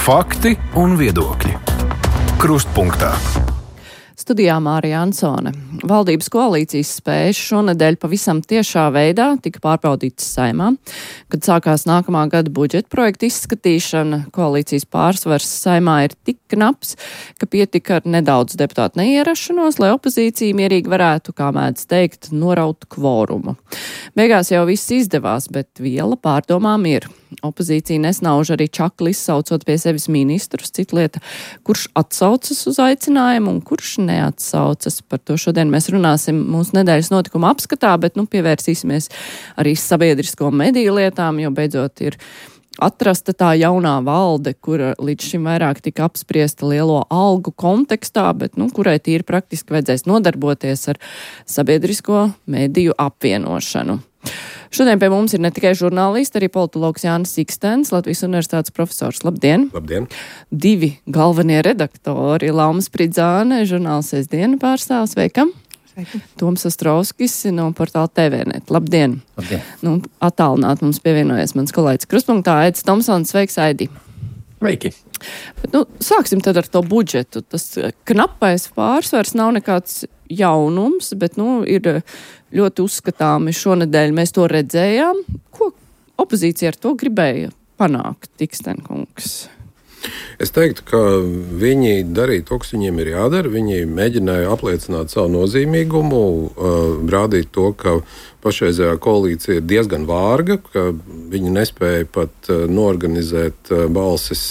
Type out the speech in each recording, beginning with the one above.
Fakti un viedokļi. Krustpunktā. Studijā Mārija Ansone. Valdības koalīcijas spējas šonedēļ pavisam tiešā veidā tika pārbaudītas Saeimā. Kad sākās nākamā gada budžeta projekta izskatīšana, koalīcijas pārsvars Saeimā ir tik knaps, ka pietika ar nedaudz deputātu neierašanos, lai opozīcija mierīgi varētu, kā mēdz teikt, noraut kvorumu. Beigās jau viss izdevās, bet viela pārdomām ir. Opozīcija nesnauž arī čakli izsaucot pie sevis ministrus, cita lieta, kurš atsaucas uz aicinājumu un kurš neatsaucas. Par to šodien mēs runāsim mūsu nedēļas notikuma apskatā, bet pievērsīsimies arī sabiedrisko mediju lietām, jo beidzot ir atrasta tā jaunā valde, kura līdz šim vairāk tika apspriesta lielo algu kontekstā, bet kurai tīri praktiski vajadzēs nodarboties ar sabiedrisko mediju apvienošanu. Šodien pie mums ir ne tikai žurnālisti, arī politologs Jānis Ikstens, Latvijas universitātes profesors. Labdien! Labdien! Divi galvenie redaktori, Lauma Spridzāne, žurnāls Sestdiena pārstāvs, sveikam! Sveiki! Toms Ostrovskis no portāla TVNet. Labdien! Labdien! Attālināt mums pievienojies mans kolēģis Krustpunktā, Aidis Tomsons. Sveiks, Aidi! Sveiki! Bet, sāksim tad ar to budžetu. Tas knapais pārsvars nav nekāds jaunums, bet, ir ļoti uzskatāmi šonedēļ mēs to redzējām. Ko opozīcija ar to gribēja panākt, Ikstenkungs? Es teiktu, ka viņi darīja to, kas viņiem ir jādara. Viņi mēģināja apliecināt savu nozīmīgumu, rādīt to, ka pašreizējā koalīcija ir diezgan vārga, ka viņi nespēja pat norganizēt balsis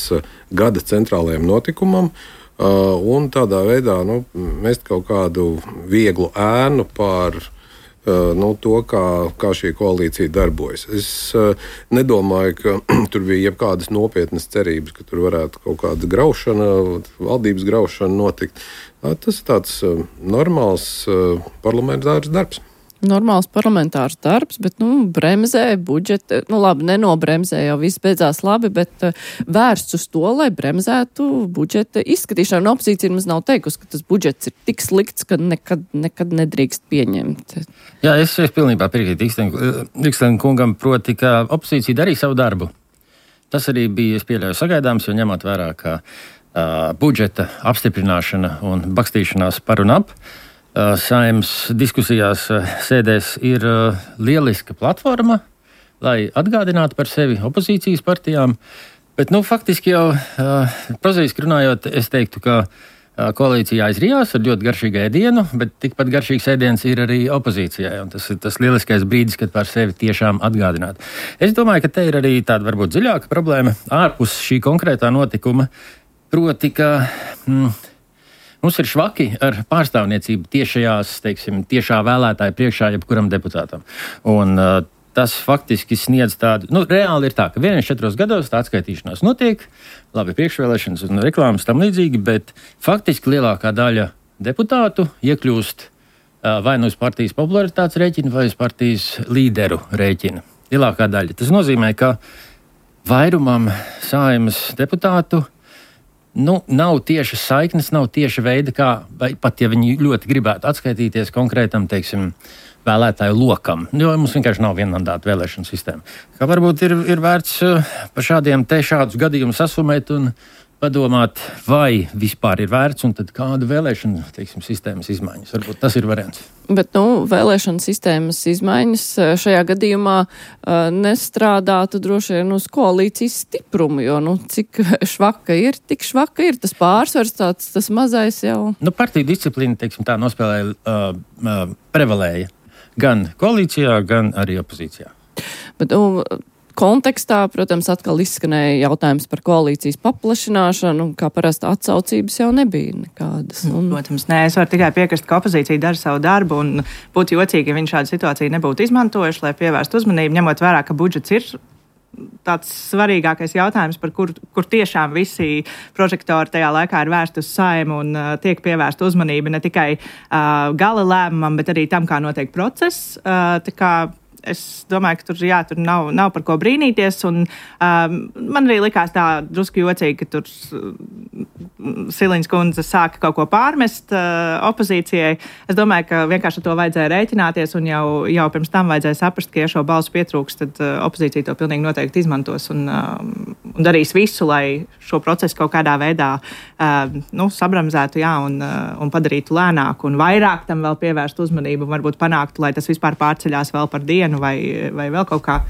gada centrālajiem notikumam. Un tādā veidā mest kaut kādu vieglu ēnu pār to, kā šī koalīcija darbojas. Es nedomāju, ka tur bija jebkādas nopietnas cerības, ka tur varētu kaut kāda graušana, valdības graušana notikt. Tas ir tāds normāls parlamentārs darbs. Normāls parlamentārs darbs, bet, bremzē budžeta, labi, nenobremzē, jau viss beidzās labi, bet vērsts uz to, lai bremzētu budžeta izskatīšanu. Opozīcija mums nav teikusi, ka tas budžets ir tik slikts, ka nekad nedrīkst pieņemt. Jā, es pilnībā piekrītu Ikstenkungam, proti, ka opozīcija darīja savu darbu. Tas arī bija, es pieļauju, sagaidāms, jo ņemot vērā, ka budžeta apstiprināšana un bakstīšanās par un ap Saeimas diskusijās sēdēs ir lieliska platforma, lai atgādinātu par sevi opozīcijas partijām. Bet, faktiski jau prozaiski runājot, es teiktu, ka koalīcija aizrijās ar ļoti garšīgu ēdienu, bet tikpat garšīgs ēdiens ir arī opozīcijai. Un tas ir tas lieliskais brīdis, kad par sevi tiešām atgādināt. Es domāju, ka te ir arī tāda varbūt dziļāka problēma ārpus šī konkrētā notikuma, proti, ka mums ir švaki ar pārstāvniecību tiešā vēlētāja priekšā jebkuram deputātam. Un tas faktiski sniedz tādu, reāli ir tā, ka 4 gados tā atskaitīšanās notiek, labi priekšvēlēšanas un reklāmas tam līdzīgi, bet faktiski lielākā daļa deputātu iekļūst vai uz partijas popularitātes rēķina, vai uz partijas līderu rēķina. Lielākā daļa. Tas nozīmē, ka vairumam Saeimas deputātu nav tiešas saiknes, nav tieša veida, kā, vai pat ja viņi ļoti gribētu atskaitīties konkrētam, vēlētāju lokam, jo mums vienkārši nav vienmandāta vēlēšana sistēma. Kā varbūt ir vērts par šādus gadījumus asumēt un padomāt, vai vispār ir vērts un tad kāda vēlēšana, sistēmas izmaiņas. Varbūt tas ir variants. Bet, vēlēšana sistēmas izmaiņas šajā gadījumā nestrādātu droši vien uz koalīcijas stiprumu, jo, cik švaka ir, tik švaka ir tas pārsvars, tas mazais jau. Partiju disciplīna, tā nospēlēja, prevalēja gan koalīcijā, gan arī opozīcijā. Bet, kontekstā, protams, atkal izskanēja jautājums par koalīcijas paplašināšanu, kā parasti atsaucības jau nebija nekādas. Protams, nē, es varu tikai piekrist, ka opozīcija dara savu darbu un būtu jocīgi, ja viņi šādu situāciju nebūtu izmantojuši, lai pievērstu uzmanību, ņemot vērā, ka budžets ir tāds svarīgākais jautājums, par kur tiešām visi prožektori tajā laikā ir vērsti uz Saeimu un tiek pievērsta uzmanība ne tikai gala lēmumam, bet arī tam, kā notiek process. Es domāju, ka tur nav par ko brīnīties. Un, man arī likās tā drusku jocīgi, ka tur Siliņas kundze sāka kaut ko pārmest opozīcijai. Es domāju, ka vienkārši ar to vajadzēja rēķināties un jau pirms tam vajadzēja saprast, ka, ja šo balsu pietrūks, tad opozīcija to pilnīgi noteikti izmantos un un darīs visu, lai šo procesu kaut kādā veidā sabramzētu, un padarītu lēnāku un vairāk tam vēl pievērst uzmanību, varbūt panāktu, lai tas vispār pārceļās vēl par dienu vai vēl kaut kā.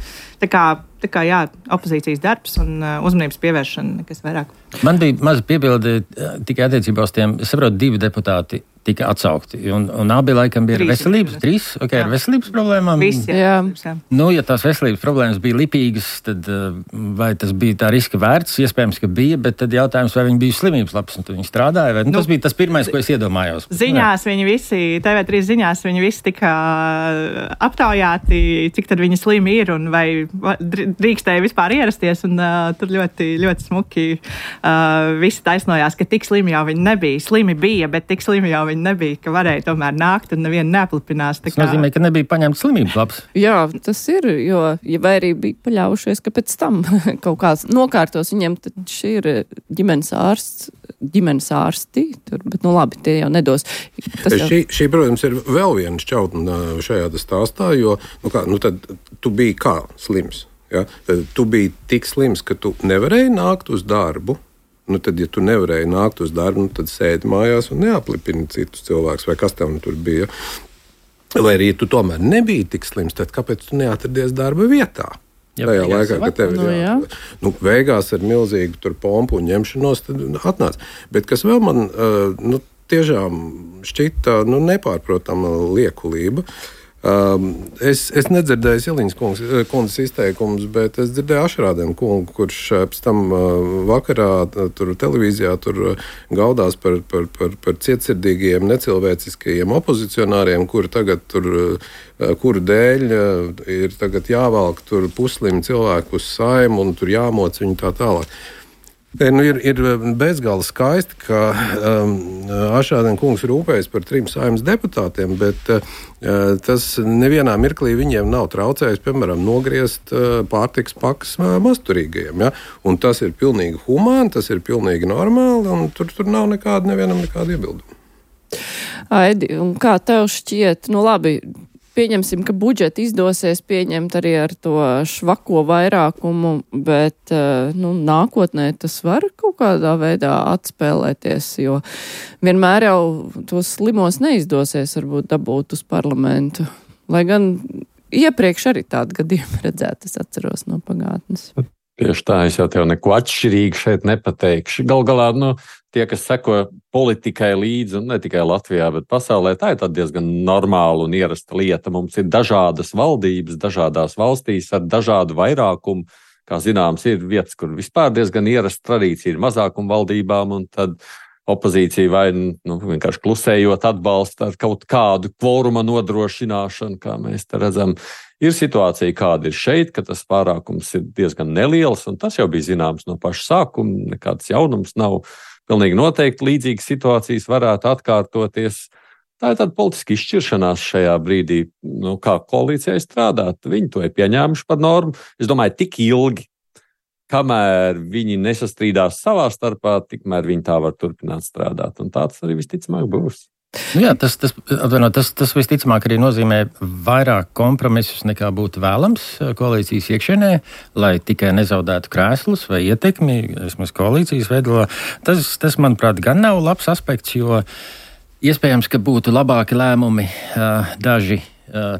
Tā kā jā, opozīcijas darbs un uzmanības pievēršana, nekas vairāk. Man bija maza piebilde tikai attiecībā uz tiem, es saprotu, 2 deputāti tika atsaukti, un abi laikam bija veselības, 3, ar veselības problēmām. Visi, jā. Ja tās veselības problēmas bija lipīgas, tad vai tas bija tā riska vērts? Iespējams, ka bija, bet tad jautājums, vai viņi bija slimības labs, un viņi strādāja, vai tas bija tas pirmais, ko es iedomājos. Ziņās viņi visi, TV3 ziņās viņi visi tika aptaujāti, cik tad viņi slimi ir, un vai drīkstēja vispār ierasties, un tur ļoti, ļoti smuki visi taisnojās, ka tik slimi jau viņi nebija. Slimi bija, bet tik slimi jau viņi nebija, ka varēja tomēr nākt un nevienu neaplipinās. Tas nozīmē, ka nebija paņemts slimības labs. Jā, tas ir, jo, vai arī bija paļaujušies, ka pēc tam kaut kāds nokārtos viņiem, tad šī ir ģimenes ārsti, bet labi, tie jau nedos. Šī, protams, ir vēl viena šķautne šajā stāstā, jo, tad tu biji kā slims. Ja? Tad tu biji tik slims, ka tu nevarēji nākt uz darbu. Tad, ja tu nevarēji nākt uz darbu, tad sēdi mājās un neaplipini citus cilvēkus, vai kas tev tur bija. Vai arī tu tomēr nebija tik slims, tad kāpēc tu neatradies darba vietā? Tajā laikā, kad tev ir beigās ar milzīgu pompu un ņemšanos, tad atnāc. Bet kas vēl man tiešām šķita nepārprotama liekulība. Es nedzirdēju Siliņas kundzes izteikumus, bet es dzirdēju Ašrādēnu kungu, kurš pēc tam vakarā tur televīzijā tur gaudās par cietsirdīgiem, necilvēciskajiem opozicionāriem, kuru dēļ ir tagad jāvelk tur puslimi cilvēku uz Saimu un tur jāmoc viņu tā tālāk. Ir bezgala skaisti, ka Ašrādēna kungs rūpējas par 3 Saeimas deputātiem, bet tas nevienā mirklī viņiem nav traucējis, piemēram, nogriezt pārtikas pakas masturīgajiem. Ja? Un tas ir pilnīgi humāni, tas ir pilnīgi normāli, un tur nav nevienam nekāda iebilduma. Aidi, un kā tev šķiet, labi, pieņemsim, ka budžeti izdosies pieņemt arī ar to švako vairākumu, bet nākotnē tas var kaut kādā veidā atspēlēties, jo vienmēr jau tos slimos neizdosies varbūt dabūt uz parlamentu. Lai gan iepriekš arī tādu gadījumu redzēt, es atceros no pagātnes. Tieši tā, es jau tev neko atšķirīgi šeit nepateikšu. Gal galā, tie, kas seko politikai līdzi, un ne tikai Latvijā, bet pasaulē, tā ir diezgan normāla un ierasta lieta. Mums ir dažādas valdības, dažādās valstīs ar dažādu vairākumu. Kā zināms, ir vietas, kur vispār diezgan ierasta tradīcija ir mazākuma valdībām, un tad opozīcija vai vienkārši klusējot atbalsta ar kaut kādu kvoruma nodrošināšanu, kā mēs te redzam. Ir situācija, kāda ir šeit, ka tas pārākums ir diezgan neliels, un tas jau bija zināms no paša sākuma, nekāds jaunums nav. Pilnīgi noteikti līdzīgas situācijas varētu atkārtoties. Tā ir tāda politiska izšķiršanās šajā brīdī, kā koalīcijai strādāt. Viņi to ir pieņēmuši par normu. Es domāju, tik ilgi, kamēr viņi nesastrīdās savā starpā, tikmēr viņi tā var turpināt strādāt. Un tā tas arī visticamāk būs. Jā, tas visticamāk arī nozīmē vairāk kompromisus nekā būtu vēlams koalīcijas iekšienē, lai tikai nezaudētu krēslus vai ietekmi, vismaz koalīcijas veidolā. Tas, manuprāt, gan nav labs aspekts, jo iespējams, ka būtu labāki lēmumi daži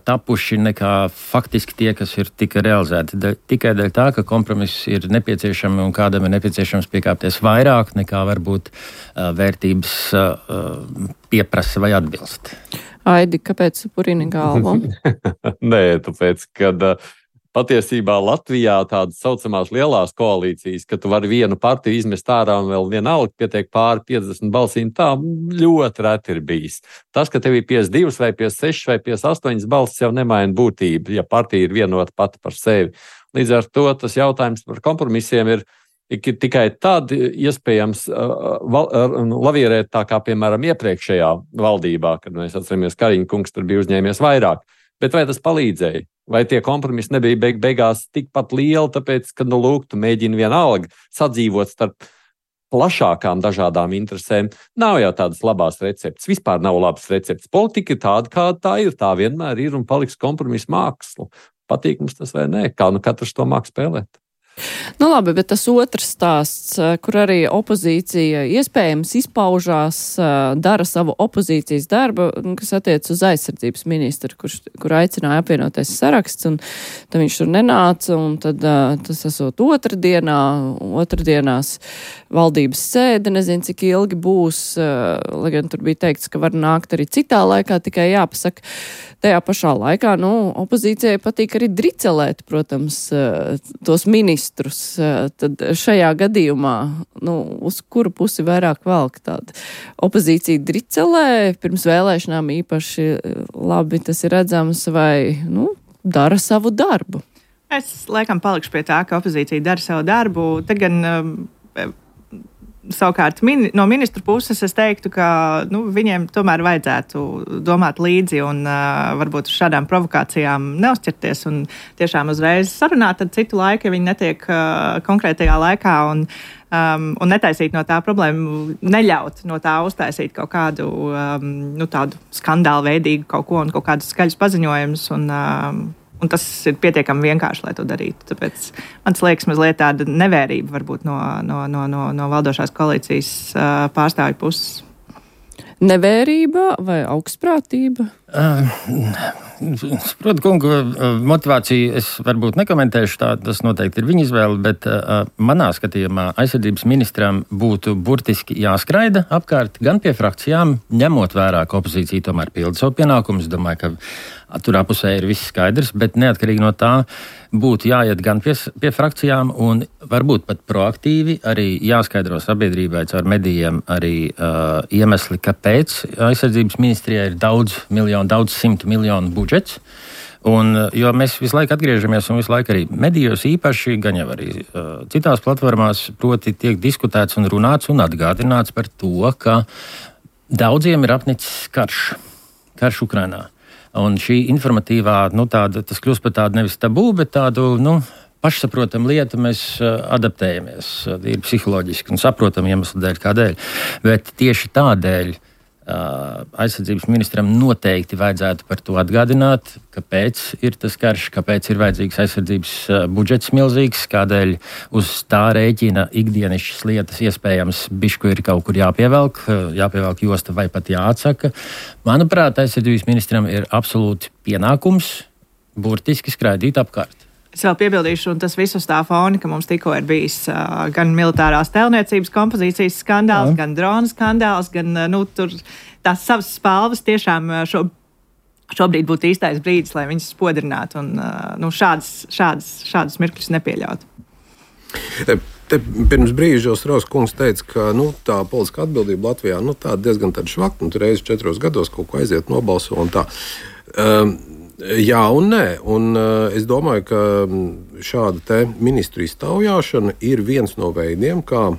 tapuši nekā faktiski tie, kas ir tika realizēti. Tikai dēļ tā, ka kompromiss ir nepieciešami un kādam ir nepieciešams piekāpties vairāk nekā varbūt vērtības pieprasa vai atbilst. Aidi, kāpēc purini galvu? Nē, tāpēc, kad patiesībā Latvijā tādas saucamās lielās koalīcijas, ka tu vari vienu partiju izmest ārā un vēl vienalga pietiek pāri 50 balsīm, tā ļoti reti ir bijis. Tas, ka tev ir 52 vai 56 vai 58 balsis, jau nemaina būtību, ja partija ir vienota pati par sevi. Līdz ar to tas jautājums par kompromisiem ir tikai tad iespējams lavierēt tā kā, piemēram, iepriekšējā valdībā, kad mēs atceramies, Kariņa kungs tur bija uzņēmies vairāk. Bet vai tas palīdzēja? Vai tie kompromisi nebija beigās tikpat lieli, tāpēc, ka, tu mēģini vienalga sadzīvot starp plašākām dažādām interesēm? Nav jau tādas labās receptes. Vispār nav labas receptes. Politika ir tāda, kāda tā ir. Tā vienmēr ir un paliks kompromisu māksla. Patīk mums tas vai nē? Kā katrs to māk spēlēt? Nu labi, bet tas otrs stāsts, kur arī opozīcija iespējams izpaužās, dara savu opozīcijas darbu, kas attiec uz aizsardzības ministru, kur aicināja apvienoties saraksts, un tad viņš tur nenāca, un tad tas esot otrdienās valdības sēde, nezinu, cik ilgi būs, lai gan tur bija teikts, ka var nākt arī citā laikā, tikai jāpasaka, tajā pašā laikā, opozīcijai patīk arī dricelēt, protams, tos ministrus. Tad šajā gadījumā, uz kuru pusi vairāk velk tāda opozīcija dricelē, pirms vēlēšanām īpaši labi tas ir redzams, vai, dara savu darbu? Es, laikam, palikšu pie tā, ka opozīcija dara savu darbu. Te gan savukārt no ministru puses es teiktu, ka viņiem tomēr vajadzētu domāt līdzi un varbūt uz šādām provokācijām neuzķerties un tiešām uzreiz sarunāt ar citu laiku, ja viņi netiek konkrētajā laikā un netaisīt no tā problēmu, neļaut no tā uztaisīt kaut kādu tādu skandālu veidīgu kaut ko un kaut kādus skaļus paziņojumus un tas ir pietiekami vienkārši, lai to darītu. Tāpēc man liekas mazliet tāda nevērība varbūt no valdošās koalīcijas pārstāvju puses. Nevērība vai augstprātība? Protams, kungu motivāciju es varbūt nekomentēšu, tas noteikti ir viņa izvēle, bet manā skatījumā aizsardzības ministram būtu burtiski jāskraida apkārt gan pie frakcijām, ņemot vērā, ka opozīcija tomēr pilda savu pienākumu. Es domāju, ka tur apusē ir viss skaidrs, bet neatkarīgi no tā būtu jāiet gan pie frakcijām un varbūt pat proaktīvi arī jāskaidro sabiedrībai caur medijiem arī iemesli, kāpēc aizsardzības ministrijai ir daudz simtu miljonu budžets. Jo mēs visu laiku atgriežamies un visu laiku arī medijos īpaši, gan jau arī citās platformās, proti tiek diskutēts un runāts un atgādināts par to, ka daudziem ir apnicis karš Ukrainā. Un šī informatīvā, tas kļūst par tādu nevis tabū, bet tādu, pašsaprotam lietu mēs adaptējamies, ir psiholoģiski un saprotam iemeslu dēļ, kādēļ. Bet tieši tādēļ aizsardzības ministram noteikti vajadzētu par to atgādināt, kāpēc ir tas karš, kāpēc ir vajadzīgs aizsardzības budžets milzīgs, kādēļ uz tā rēķina ikdienišķas lietas iespējams bišku ir kaut kur jāpievelk josta vai pat jāatsaka. Manuprāt, aizsardzības ministram ir absolūti pienākums burtiski skraidīt apkārt. Es vēl piebildīšu, un tas viss uz tā fona, ka mums tikko ir bijis gan militārās tēlniecības kompozīcijas skandāls, gan drona skandāls, gan tur tās savas spalvas tiešām šobrīd būtu īstais brīdis, lai viņas spodrinātu un šādus mirkļus nepieļautu. Te pirms brīža Raus kungs teica, ka tā politiskā atbildība Latvijā tā diezgan švakta, tur reizes 4 gados kaut ko aiziet nobalso un tā. Jā un nē, un es domāju, ka šāda te ministru iztaujāšana ir viens no veidiem, kā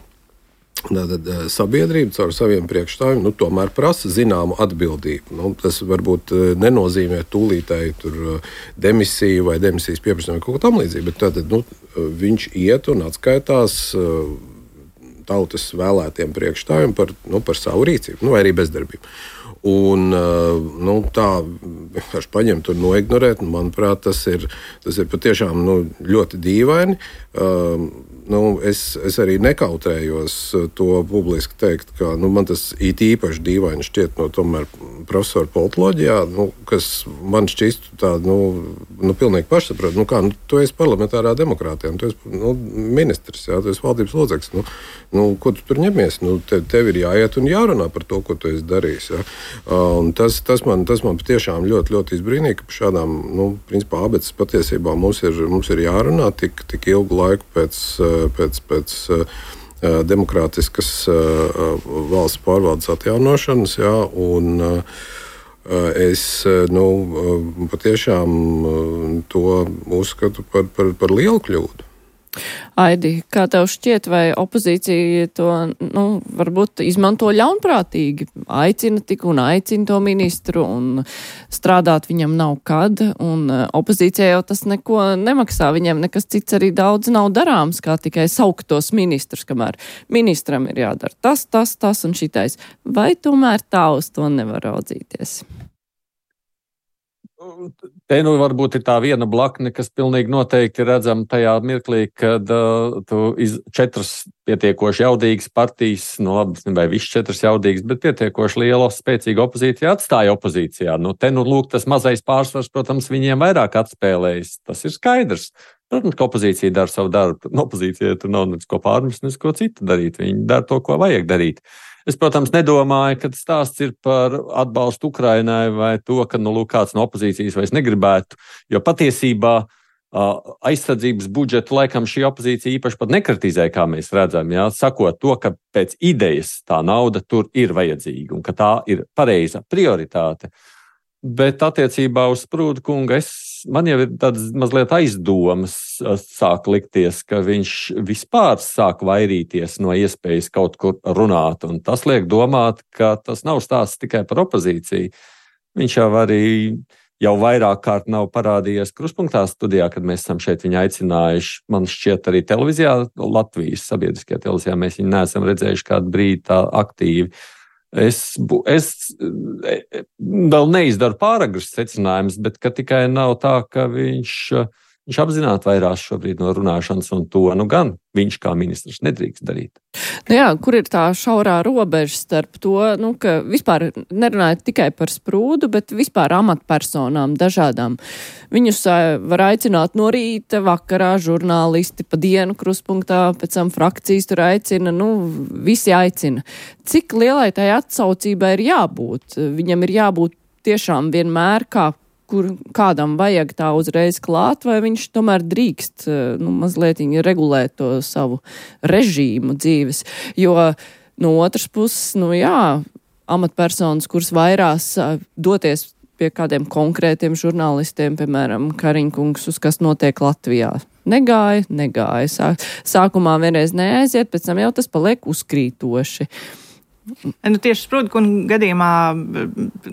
sabiedrība caur saviem priekšstāvjiem tomēr prasa zināmu atbildību. Tas varbūt nenozīmē tūlītēji demisiju vai demisijas pieprasījumu vai kaut ko tam līdzīgu, bet tātad viņš iet un atskaitās tautas vēlētiem priekšstāvjiem par savu rīcību, vai arī bezdarbību. Un tā vienkārši paņemt un noignorēt, manuprāt, tas ir patiešām ļoti dīvaini. Es arī nekautējos to publiski teikt, ka man tas īpaši dīvaini šķiet no tomēr profesora politoloģijā, kas man šķistu tādu, pilnīgi pašsaprot. Tu esi parlamentārā demokrātijā, tu esi ministrs, tu esi valdības loceklis. Ko tu tur ņemies? Tev ir jāiet un jārunā par to, ko tu esi darījis. Ja? Un tas man patiešām ļoti, ļoti izbrīnīja, ka par šādām, principā, abeces patiesībā mums ir jārunā tik ilgu laiku pēc demokrātiskas valsts pārvaldes atjaunošanas, jā, un es patiešām to uzskatu par lielu kļūdu. Aidi, kā tev šķiet, vai opozīcija to, varbūt izmanto ļaunprātīgi, aicina to ministru un strādāt viņam nav kad, un opozīcija jau tas neko nemaksā, viņam nekas cits arī daudz nav darāms, kā tikai saukt tos ministrus, kamēr ministram ir jādara tas un šitais. Vai tomēr tā uz to nevar raudzīties? te varbūt ir tā viena blakne, kas pilnīgi noteikti redzama tajā mirklī, kad tu 4 pietiekoši jaudīgas partijas, labi, vai viss 4 jaudīgas, bet pietiekoši liela, spēcīga opozīcija atstāja opozīcijā. Lūk, tas mazais pārsvars, protams, viņiem vairāk atspēlējas. Tas ir skaidrs. Protams, ka opozīcija dara savu darbu. Opozīcija tur nav neko pārmest, neko citu darīt. Viņi dara to, ko vajag darīt. Es, protams, nedomāju, ka stāsts ir par atbalstu Ukrainai vai to, ka kāds no opozīcijas vairs negribētu, jo patiesībā aizsardzības budžetu laikam šī opozīcija īpaši pat nekritizē, kā mēs redzam, sakot to, ka pēc idejas tā nauda tur ir vajadzīga un ka tā ir pareiza prioritāte. Bet attiecībā uz Sprūda kunga man jau ir tādas mazliet aizdomas sāk likties, ka viņš vispār sāk vairīties no iespējas kaut kur runāt. Un tas liek domāt, ka tas nav stāsts tikai par opozīciju. Viņš jau vairāk kārt nav parādījies Kruspunktā studijā, kad mēs esam šeit viņu aicinājuši. Man šķiet arī televīzijā, Latvijas sabiedriskajā televīzijā, mēs viņu neesam redzējuši kādu brīdi tā aktīvi. Es vēl neizdaru pāragras secinājumus, bet ka tikai nav tā, ka viņš apzināti vairās šobrīd no runāšanas, un to gan viņš kā ministrs nedrīkst darīt. Kur ir tā šaurā robeža starp to, ka vispār nerunājot tikai par Sprūdu, bet vispār amatpersonām dažādām. Viņus var aicināt no rīta, vakarā, žurnālisti pa dienu Kruspunktā, pēc tam frakcijas tur aicina, visi aicina. Cik lielai tai atsaucībai ir jābūt? Viņam ir jābūt tiešām vienmēr kur kādam vajag tā uzreiz klāt, vai viņš tomēr drīkst mazliet regulēt to savu režīmu dzīves. Jo no otras puses, amatpersonas, kuras vairās doties pie kādiem konkrētiem žurnālistiem, piemēram, Kariņkungs, uz kas notiek Latvijā. Negāja. Sākumā vienreiz neaiziet, pēc tam jau tas paliek uzkrītoši. Tieši Sprūda kunga gadījumā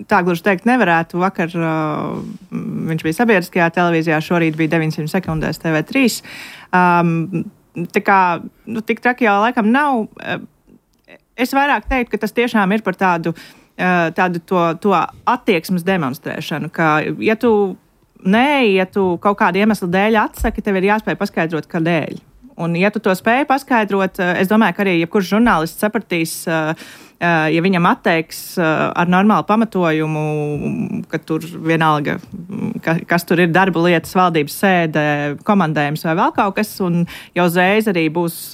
tā gluži teikt nevarētu. Vakar viņš bija sabiedriskajā televīzijā, šorīt bija 900 sekundēs TV3. Tā kā tik traki jau laikam nav. Es vairāk teiktu, ka tas tiešām ir par tādu to attieksmes demonstrēšanu, ka ja tu kaut kādu iemeslu dēļ atsaki, tev ir jāspēj paskaidrot, kādēļ. Un, ja tu to spēji paskaidrot, es domāju, ka arī jebkurš žurnālists sapratīs, ja viņam atteiks ar normālu pamatojumu, ka tur vienalga, kas tur ir darba lietas, valdības sēde, komandējums vai vēl kaut kas, un jau uzreiz arī būs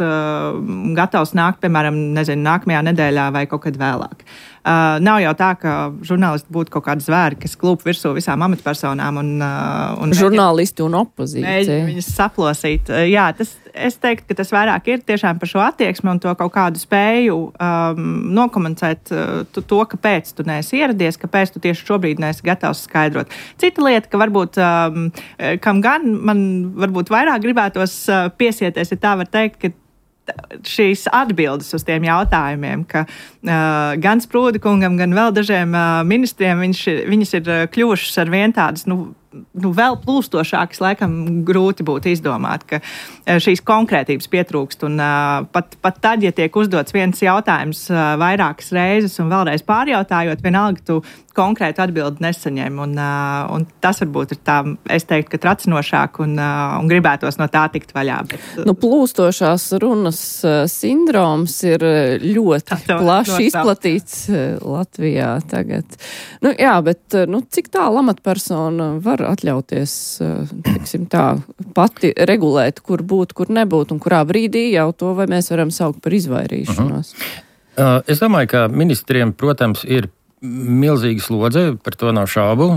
gatavs nākt, piemēram, nākamajā nedēļā vai kaut kad vēlāk. Nav jau tā, ka žurnālisti būtu kaut kādi zvēri, kas klūp virsū visām amatpersonām. Un žurnālisti un opozīcija. Viņas saplosīt. Jā, es teiktu, ka tas vairāk ir tiešām par šo attieksmi un to kaut kādu spēju nokomunicēt to, kāpēc tu neesi ieradies, kāpēc tu tieši šobrīd neesi gatavs skaidrot. Cita lieta, ka varbūt, kam gan man varbūt vairāk gribētos piesieties, ja tā var teikt, ka šīs atbildes uz tiem jautājumiem, ka gan Sprūda kungam, gan vēl dažiem ministriem viņas ir kļuvušas ar vien tādas, vēl plūstošākas, laikam grūti būtu izdomāt, ka šīs konkrētības pietrūkst. Un pat tad, ja tiek uzdots viens jautājums vairākas reizes un vēlreiz pārjautājot, vienalga tu konkrētu atbildi nesaņem. Un tas varbūt ir tā, es teiktu, ka tracinošāk un gribētos no tā tikt vaļā. Bet, plūstošās runas sindroms ir ļoti plaši izplatīts Latvijā tagad. Bet cik tālu amatpersona var atļauties, pati regulēt, kur būt, kur nebūt, un kurā brīdī jau to, vai mēs varam saukt par izvairīšanos? Es domāju, ka ministriem, protams, ir milzīga slodze, par to nav šaubu.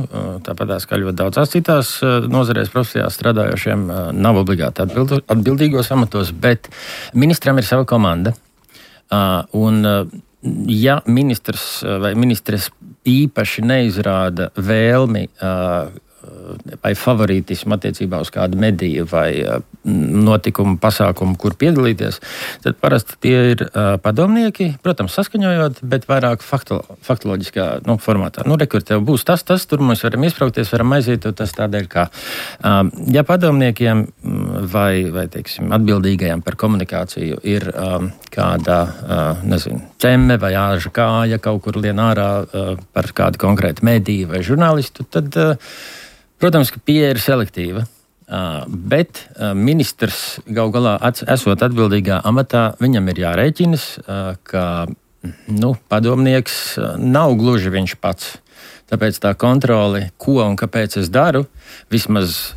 Tāpat kā ļoti daudzās citās nozarēs profesijās strādājošiem nav obligāti atbildīgos amatos, bet ministram ir sava komanda. Un ja ministrs vai ministres īpaši neizrāda vēlmi vai favorītismu attiecībā uz kādu mediju vai notikumu, pasākumu, kur piedalīties, tad parasti tie ir padomnieki, protams, saskaņojot, bet vairāk faktoloģiskā formātā. Rekur, tev būs tas, tur mēs varam izpraukties, varam aiziet, tas tādēļ, kā ja padomniekiem vai teiksim, atbildīgajiem par komunikāciju ir kāda, cemme vai āža kāja kaut kur lien ārā par kādu konkrētu mediju vai žurnālistu, tad Protams, ka pieeja ir selektīva, bet ministrs gal galā esot atbildīgā amatā, viņam ir jārēķinas, ka padomnieks nav gluži viņš pats. Tāpēc tā kontrole, ko un kāpēc es daru, vismaz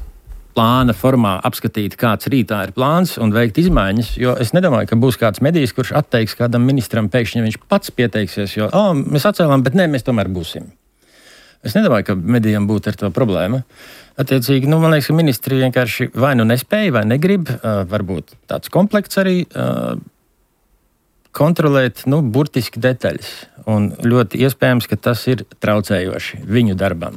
plāna formā apskatīt, kāds rītā ir plāns un veikt izmaiņas, jo es nedomāju, ka būs kāds medijs, kurš atteiks kādam ministram pēkšņi, ja viņš pats pieteiksies, jo mēs atcēlām, bet nē, mēs tomēr būsim. Es nedomāju, ka medijam būtu ar to problēma. Attiecīgi, man liekas, ka ministri vienkārši vai nu nespēja, vai negrib, varbūt tāds komplekts arī kontrolēt, burtiski detaļas. Un ļoti iespējams, ka tas ir traucējoši viņu darbam.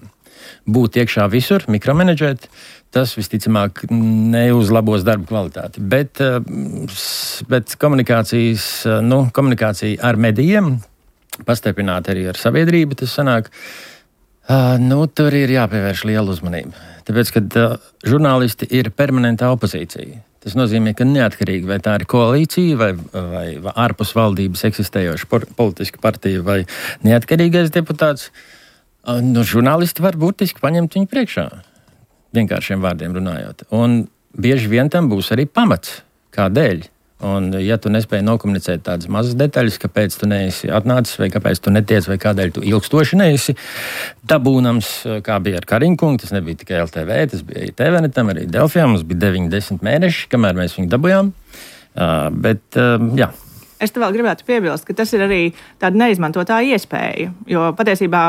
Būt iekšā visur, mikromenedžēt, tas visticamāk neuzlabos darbu kvalitāti. Bet komunikācija ar medijiem, pastiprināta arī ar sabiedrību, tas sanāk, tur ir jāpievērš liela uzmanība. Tāpēc, kad žurnālisti ir permanentā opozīcija, tas nozīmē, ka neatkarīgi vai tā ir koalīcija vai ārpus valdības eksistējoša politiska partija vai neatkarīgais deputāts, žurnālisti var burtiski paņemt viņu priekšā. Vienkāršiem vārdiem runājot. Un bieži vien tam būs arī pamats, kādēļ. Un, ja tu nespēji nokomunicēt tādas mazas detaļas, kāpēc tu neesi atnācis, vai kāpēc tu netiec, vai kādēļ tu ilgstoši neesi dabūnams, kā bija ar Kariņkungu, tas nebija tikai LTV, tas bija TVNetam, arī Delfijā, mums bija 9-10 mēneši, kamēr mēs viņu dabūjām. Jā. Es te vēl gribētu piebilst, ka tas ir arī tāda neizmantotā iespēja, jo patiesībā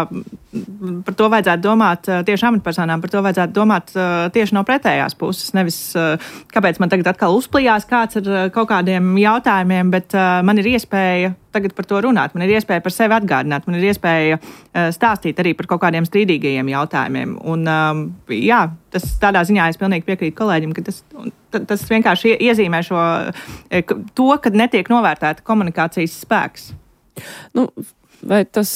par to vajadzētu domāt tieši amatpersonām, par to vajadzētu domāt tieši no pretējās puses. Nevis, kāpēc man tagad atkal uzplījās kāds ar kaut kādiem jautājumiem, bet man ir iespēja tagad par to runāt, man ir iespēja par sevi atgādināt, man ir iespēja stāstīt arī par kaut kādiem strīdīgajiem jautājumiem. Un jā, tas tādā ziņā es pilnīgi piekrītu kolēģim, ka tas vienkārši iezīmē to, kad netiek novērtēta komunikācijas spēks. Vai tas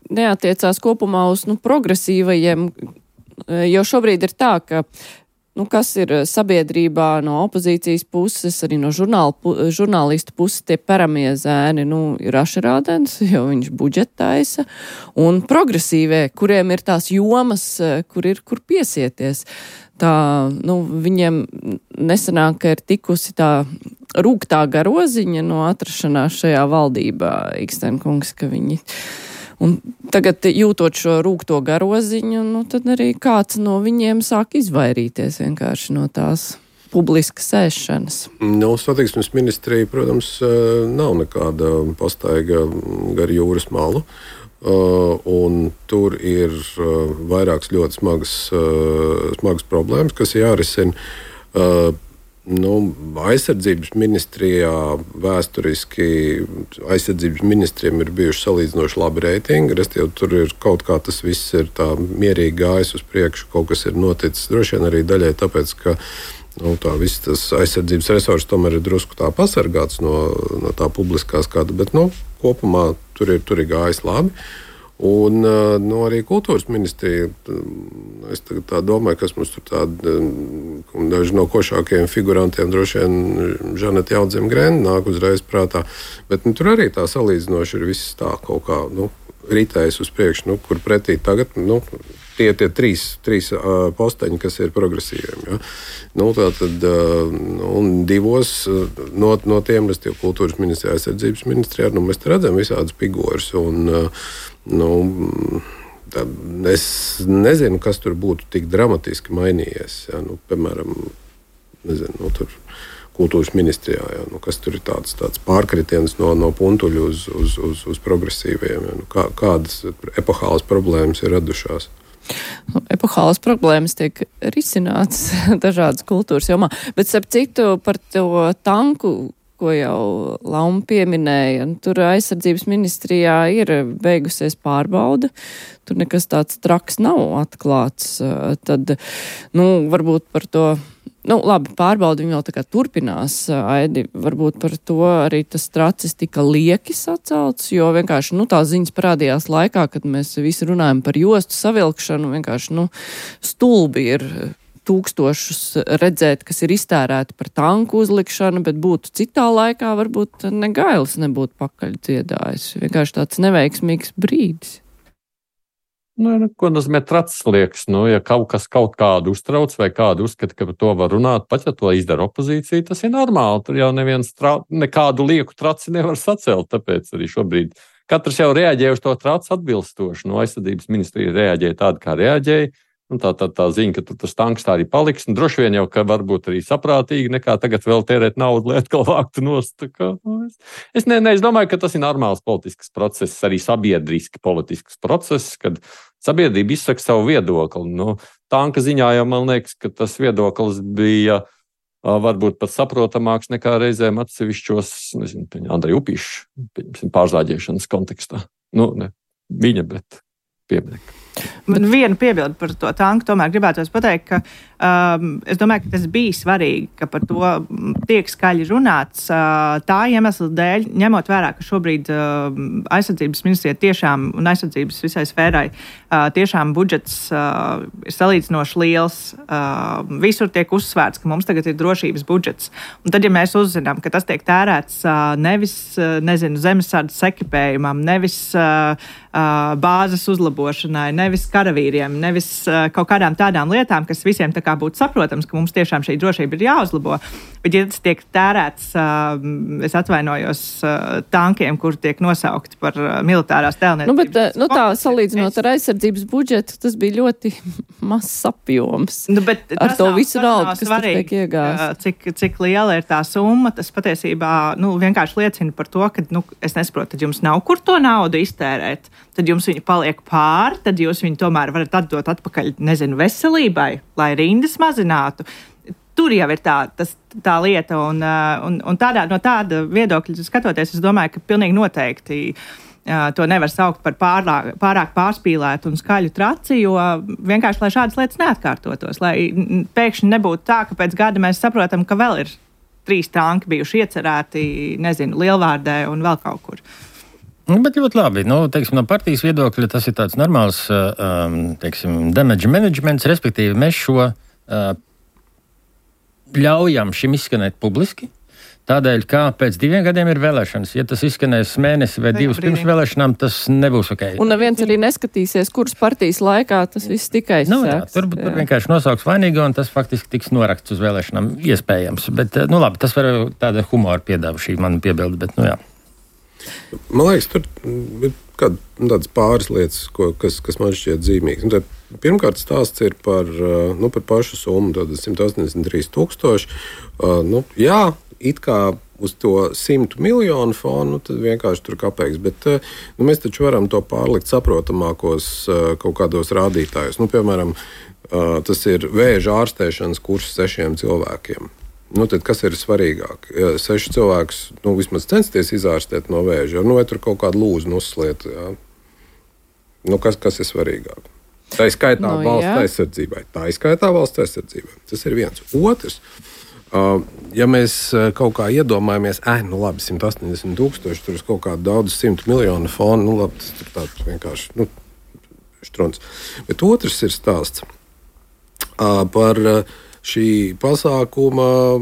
neatiecās kopumā uz progresīvajiem, jo šobrīd ir tā, ka kas ir sabiedrībā no opozīcijas puses, arī no žurnālistu puses tie peramie zēni, ir Ašerādens, jo viņš budžetaisa, un progresīvie, kuriem ir tās jomas, kur piesieties. Tā, viņiem nesanāk, ka ir tikusi tā rūgtā garoziņa no atrašanās šajā valdībā, Ikstenkungs, ka viņi... Un tagad, jūtot šo rūgto garoziņu, tad arī kāds no viņiem sāk izvairīties vienkārši no tās publiskas ēšanas. Satiksmes ministrija, protams, nav nekāda pastaiga gar jūras malu. Un tur ir vairākas ļoti smagas problēmas, kas jārisina. Aizsardzības ministrijā vēsturiski aizsardzības ministriem ir bijuši salīdzinoši labi reitingi. Restīvi, tur ir kaut kā tas viss ir tā mierīgi gājis uz priekšu, kaut kas ir noticis. Droši vien arī daļai tāpēc, ka tā viss tas aizsardzības resurss tomēr ir drusku tā pasargāts no tā publiskā skata, bet kopumā tur ir gājis labi. Un arī kultūras ministrija, es tā domāju, kas mums tur tādi daži no košākajiem figurantiem, droši vien Žaneta Jaudzem-Grenda nāk uzreiz prātā, bet tur arī tā salīdzinoši ir viss tā kaut kā ritējis uz priekšu, kur pretī tagad tie trīs posteņi, kas ir progresīviem. Ja? Tātad, un divos no tiem, restīvi kultūras ministrijā, aizsardzības ministrijā, mēs redzam visādas figūras. Es nezinu, kas tur būtu tik dramatiski mainījies. Ja? Piemēram, tur kultūras ministrijā, ja? Kas tur ir tāds pārkritiens no puntuļu uz progresīviem. Ja? Kādas epohālas problēmas ir radušās? Epohālas problēmas tiek risinātas dažādas kultūras jomā, bet starp citu par to tanku, ko jau Lauma pieminēja, tur aizsardzības ministrijā ir beigusies pārbauda, tur nekas tāds traks nav atklāts, tad, varbūt par to, labi, pārbauda viņi vēl tā kā turpinās, Aidi, varbūt par to arī tas tracis tika lieki sacelts, jo vienkārši, tās ziņas parādījās laikā, kad mēs visi runājam par jostu savilkšanu, vienkārši, stulbi ir tūkstošus redzēt, kas ir iztērēti par tanku uzlikšanu, bet būtu citā laikā, varbūt Negailis nebūtu pakaļ dziedājis. Vienkārši tāds neveiksmīgs brīdis. Ko nozīmē tracis liekas? Ja kaut kādu uztrauc vai kādu uzskata, ka par to var runāt, pat ja to izdara opozīcija, tas ir normāli. Tur jau neviens nekādu lieku traci nevar sacelt, tāpēc arī šobrīd katrs jau reaģē uz to traci atbilstoši. Aizsardzības ministrija reaģēja tādi, kā reaģēja. Tā ziņa, ka tur tas tanks tā arī paliks. Droši vien jau, ka varbūt arī saprātīgi, nekā tagad vēl tērēt naudu, lai atkal vāktu nost. Es domāju, ka tas ir normāls politisks process, arī sabiedriski politisks process, kad sabiedrība izsaka savu viedokli. Tanka ziņā jau man liekas, ka tas viedoklis bija varbūt pat saprotamāks nekā reizēm atsevišķos, Andreja Upīša pārzāģēšanas kontekstā. Ne viņa, bet pieminiekta. Vienu piebildu par to tanku tomēr gribētos pateikt, ka es domāju, ka tas bija svarīgi, ka par to tiek skaļi runāts tā iemesla dēļ, ņemot vērā, ka šobrīd aizsardzības ministrija tiešām un aizsardzības visai sfērai tiešām budžets ir salīdzinoši liels. Visur tiek uzsvērts, ka mums tagad ir drošības budžets. Un tad, ja mēs uzzinām, ka tas tiek tērēts nevis, zemesardzes ekipējumam, nevis bāzes uzlabošanai, nevis karavīriem, nevis kaut kādām tādām lietām, kas visiem tā kā būtu saprotams, ka mums tiešām šī drošība ir jāuzlabo. Bet, ja tas tiek tērēts, es atvainojos, tankiem, kur tiek nosaukti par militārās tēlniecības. Tā salīdzinot ar aizsardzības budžetu, tas bija ļoti mazs apjoms. Ar to visu naudu, kas tur tiek iegāsts. Cik liela ir tā summa, tas patiesībā vienkārši liecina par to, ka es nesaprotu, tad jums nav kur to naudu iztērēt. Tad jums viņa paliek pāri, tad jūs viņu tomēr varat atdot atpakaļ, veselībai, lai rindas mazinātu. Tur jau ir tā lieta, un no tāda viedokļa skatoties, es domāju, ka pilnīgi noteikti to nevar saukt par pārāk pārspīlētu un skaļu traci, jo vienkārši, lai šādas lietas neatkārtotos, lai pēkšņi nebūtu tā, ka pēc gada mēs saprotam, ka vēl ir 3 tanki bijuši iecerēti, Lielvārdē un vēl kaut kur. Bet ļoti labi. No partijas viedokļa tas ir tāds normāls, damage managements, respektīvi mēs šo ļaujam šim izskanēt publiski. Tādēļ, kā pēc 2 gadiem ir vēlēšanas. Ja tas izskanēs mēnesi vai 2 pirms vēlēšanām, tas nebūs ok. Un neviens arī neskatīsies, kuras partijas laikā tas viss tikai sēks. Tur vienkārši nosauks vainīgo, un tas faktiski tiks noraksts uz vēlēšanām iespējams. Bet, labi, tas var tāda humora piedāva šī mana piebilde, bet, jā. Man liekas, tur ir tādas pāris lietas, kas man šķiet zīmīgas. Pirmkārt, stāsts ir par pašu summu, 183 000. Jā, it kā uz to 100 miljonu fonu, tad vienkārši tur kapeiks. Bet mēs taču varam to pārlikt saprotamākos kaut kādos rādītājos. Piemēram, tas ir vēža ārstēšanas kurs 6 cilvēkiem. Tad kas ir svarīgāk? 6 cilvēkus vismaz censties izārstēt no vēža, vai tur kaut kādu lūzu nosliet. Kas ir svarīgāk? Tā ir skaitā valsts aizsardzībai. Tas ir viens. Otrs, ja mēs kaut kā iedomājamies, labi, 180 000, tur ir kaut kāda daudz 100 miljonu fonu, labi, tas ir tāds vienkārši štruns. Bet otrs ir stāsts par šī pasākuma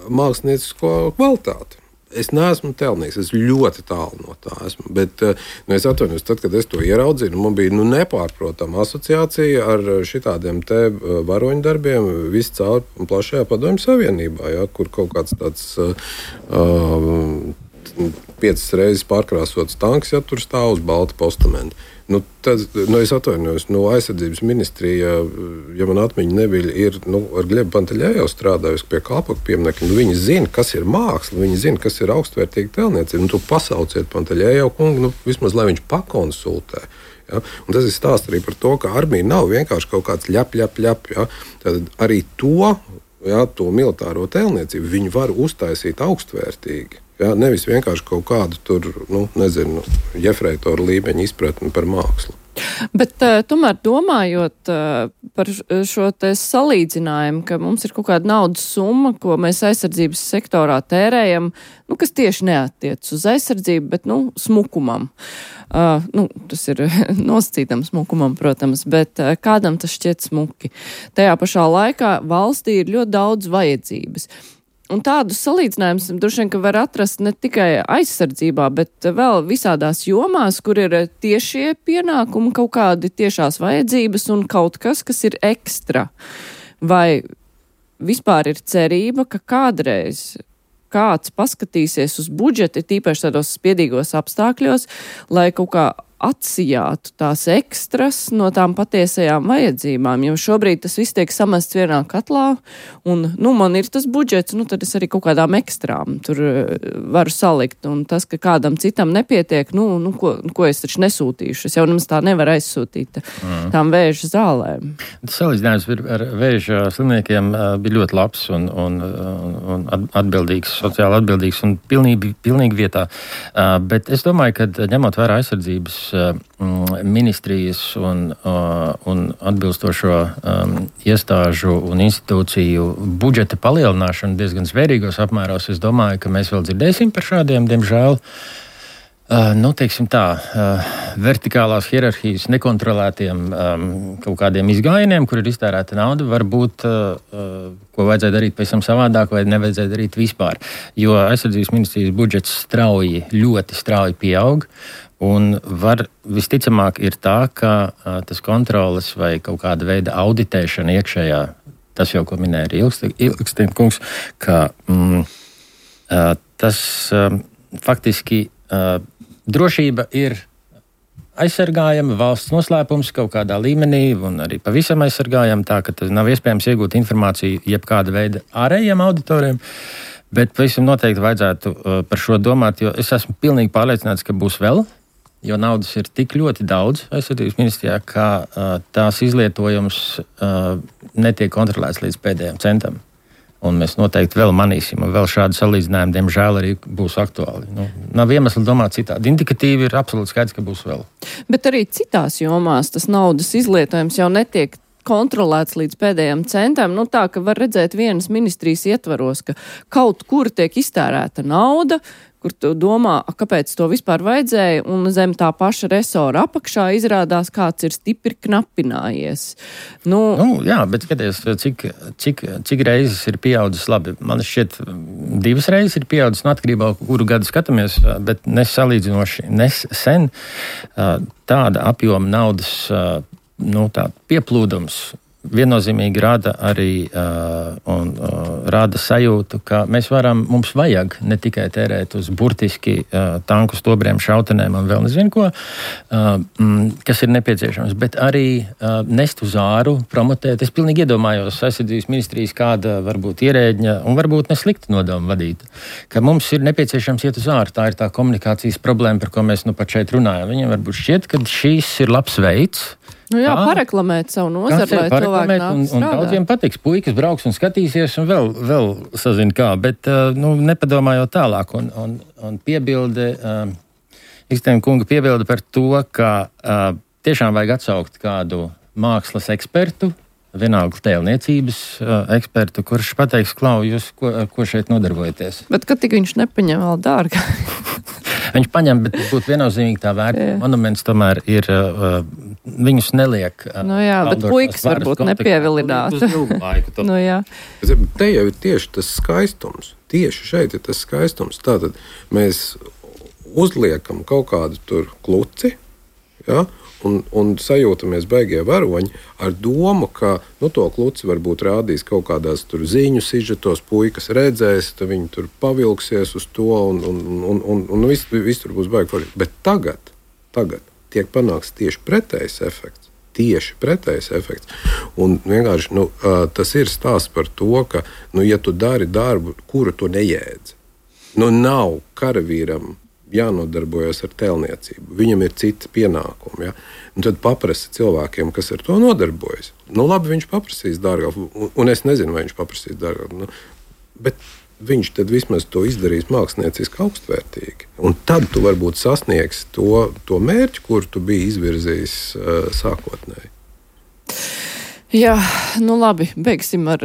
māksliniecisko kvalitāti. Es neesmu tēlnieks, es ļoti tālu no tā esmu. Bet es atvainojos, tad, kad es to ieraudzīju, man bija nepārprotama asociācija ar šitādiem te varoņu darbiem viscaur plašajā Padomju Savienībā, kur kaut kāds tāds 5 reizes pārkrāsots tanks, tur stāv uz balta postamenta. Es atvainojos, aizsardzības ministrija, ja man atmiņa nebija, ir ar Glebu Panteļēju strādājusi pie Kalpoku pieminiekta. Viņi zina, kas ir māksla, viņi zina, kas ir augstvērtīga tēlniecība. Tu pasauciet Panteļēju kungu, vismaz lai viņš pakonsultē. Ja? Un tas ir stāsts arī par to, ka armija nav vienkārši kaut kāds ļap. Ja? Tad arī to militāro tēlniecību viņi var uztaisīt augstvērtīgi. Ja? Nevis vienkārši kaut kādu tur, jefreitoru līmeņa izpratni par mākslu. Bet tomēr domājot par šo te salīdzinājumu, ka mums ir kaut kāda naudas summa, ko mēs aizsardzības sektorā tērējam, kas tieši neattiec uz aizsardzību, bet smukumam. Tas ir nosacītam smukumam, protams, bet kādam tas šķiet smuki. Tajā pašā laikā valstī ir ļoti daudz vajadzības. Un tādus salīdzinājumus droši vien, ka var atrast ne tikai aizsardzībā, bet vēl visādās jomās, kur ir tiešie pienākumi, kaut kādi tiešās vajadzības un kaut kas, kas ir ekstra. Vai vispār ir cerība, ka kādreiz kāds paskatīsies uz budžeti, tīpaši tādos spiedīgos apstākļos, lai kaut kā atsijātu tās ekstras no tām patiesajām vajadzībām, jo šobrīd tas viss tiek samests vienā katlā, un, man ir tas budžets, tad es arī kaut kādām ekstrām tur varu salikt, un tas, ka kādam citam nepietiek, ko es taču nesūtīšu, es jau nemaz tā nevaru aizsūtīt tām vēža zālēm. Tas salīdzinājums ar vēža slimniekiem bija ļoti labs un atbildīgs, sociāli atbildīgs un pilnīgi vietā, bet es domāju, ka ņemot vērā aizsardzības ministrijas un atbilstošo iestāžu un institūciju budžeta palielināšanu diezgan zvērīgos apmēros, es domāju, ka mēs vēl dzirdēsim par šādiem, diemžēl, teiksim tā, vertikālās hierarhijas nekontrolētiem kaut kādiem izgājieniem, kur ir iztērēta nauda, varbūt, ko vajadzēja darīt pēc tam savādāk vai nevajadzēja darīt vispār. Jo aizsardzības ministrijas budžets ļoti strauji pieaug, un visticamāk ir tā, ka tas kontroles vai kaut kāda veida auditēšana iekšējā, tas jau, ko minēja arī Ilgsten kungs, ka tas faktiski drošība ir aizsargājama, valsts noslēpums kaut kādā līmenī un arī pavisam aizsargājama, tā ka nav iespējams iegūt informāciju jebkāda veida ārējiem auditoriem, bet pavisam noteikti vajadzētu par šo domāt, jo es esmu pilnīgi pārliecināts, ka būs vēl, jo naudas ir tik ļoti daudz aizsardzības ministrijā, ka tās izlietojums netiek kontrolēts līdz pēdējiem centam. Un mēs noteikti vēl manīsim, un vēl šādi salīdzinājumi, diemžēl, arī būs aktuāli. Nav iemesli domāt citādi. Indikatīvi ir absolūti skaidrs, ka būs vēl. Bet arī citās jomās tas naudas izlietojums jau netiek kontrolēts līdz pēdējiem centam. Tā, ka var redzēt vienas ministrijas ietvaros, ka kaut kur tiek iztērēta nauda, kur tu domā, kāpēc to vispār vajadzēja, un zem tā paša resora apakšā izrādās, kāds ir stipri knapinājies. Jā, bet skaties, cik reizes ir pieaudzis labi. Man šķiet, 2 reizes ir pieaudzis, atkarībā, kuru gadu skatāmies, bet nesalīdzinoši nesen tāda apjoma naudas pieplūdums viennozīmīgi rada arī rada sajūtu, ka mums vajag ne tikai tērēt uz burtiski tanku stobriem, šautenēm un vēl nezinu ko, kas ir nepieciešams, bet arī nest uz āru, promotēt. Es pilnīgi iedomājos aizsardzības ministrijas kāda varbūt ierēģņa un varbūt neslikta nodoma vadīta, ka mums ir nepieciešams iet uz āru. Tā ir tā komunikācijas problēma, par ko mēs pat šeit runājam. Viņiem varbūt šķiet, ka šīs ir labs veids, pareklamēt savu nozari, lai cilvēki nāk strādāt. Un daudziem patiks, puikas brauks un skatīsies un vēl sazin kā, bet nepadomājot tālāk. Un piebilde, Ilgsten kunga piebilde par to, ka tiešām vajag atsaukt kādu mākslas ekspertu, vienalga tēlniecības ekspertu, kurš pateiks, Klau, jūs ko šeit nodarbojaties? Bet kad tik viņš nepaņem vēl dārga? Viņš paņem, bet būtu viennozīmīgi tā vērtība. Monuments tomēr ir, viņus neliek. Bet puikas varbūt nepievilinātu. Te jau ir tieši tas skaistums. Tieši šeit ir tas skaistums. Tātad mēs uzliekam kaut kādu tur kluci, un sajūtamies beigie varoņi ar domu, ka to kluci varbūt rādīs kaut kādās tur ziņu sižetos, puikas redzēs, tad viņi tur pavilksies uz to un viss tur būs baigi forši. Bet tagad tiek panāks tieši pretējs efekts. Un vienkārši tas ir stāsts par to, ka ja tu dari darbu, kuru tu nejēdzi, nav karavīram jānodarbojas ar tēlniecību. Viņam ir citi pienākumi. Un tad paprasti cilvēkiem, kas ar to nodarbojas. Labi, viņš paprasīs dārgāk, un es nezinu, vai viņš paprasīs dārgāk. Bet viņš tad vismaz to izdarīs mākslinieciski augstvērtīgi. Un tad tu varbūt sasniegsi to mērķi, kur tu biji izvirzījis sākotnēji. Jā, labi, beigsim ar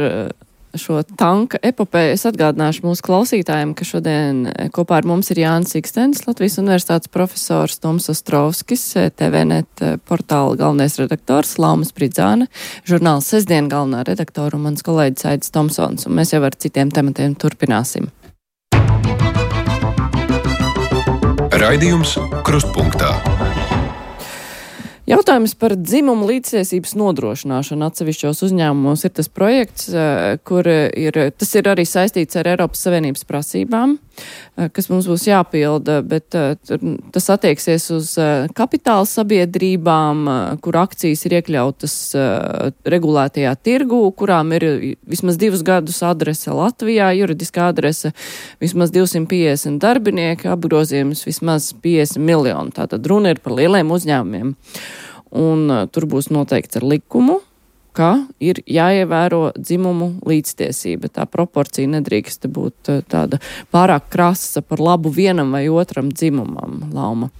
šo tanka epopēju. Es atgādināšu mūsu klausītājiem, ka šodien kopā ar mums ir Jānis Ikstens, Latvijas universitātes profesors, Toms Ostrovskis, TVNet portāla galvenais redaktors, Lauma Spridzāne, žurnāla Sestdien galvenā redaktora un mans kolēģis Aidis Tomsons. Un mēs jau ar citiem tematiem turpināsim. Raidījums Krustpunktā. Jautājums par dzimumu līdztiesības nodrošināšanu atsevišķos uzņēmumos ir tas projekts, tas ir arī saistīts ar Eiropas Savienības prasībām, kas mums būs jāpilda, bet tas attieksies uz kapitāla sabiedrībām, kur akcijas ir iekļautas regulētajā tirgū, kurām ir vismaz 2 gadus adrese Latvijā, juridiskā adrese vismaz 250 darbinieki, apgrozījums vismaz 50 miljoni. Tātad runa ir par lieliem uzņēmumiem. Un tur būs noteikts ar likumu, ka ir jāievēro dzimumu līdztiesība. Tā proporcija nedrīkst būt tāda pārāk krasa par labu vienam vai otram dzimumam, Lauma.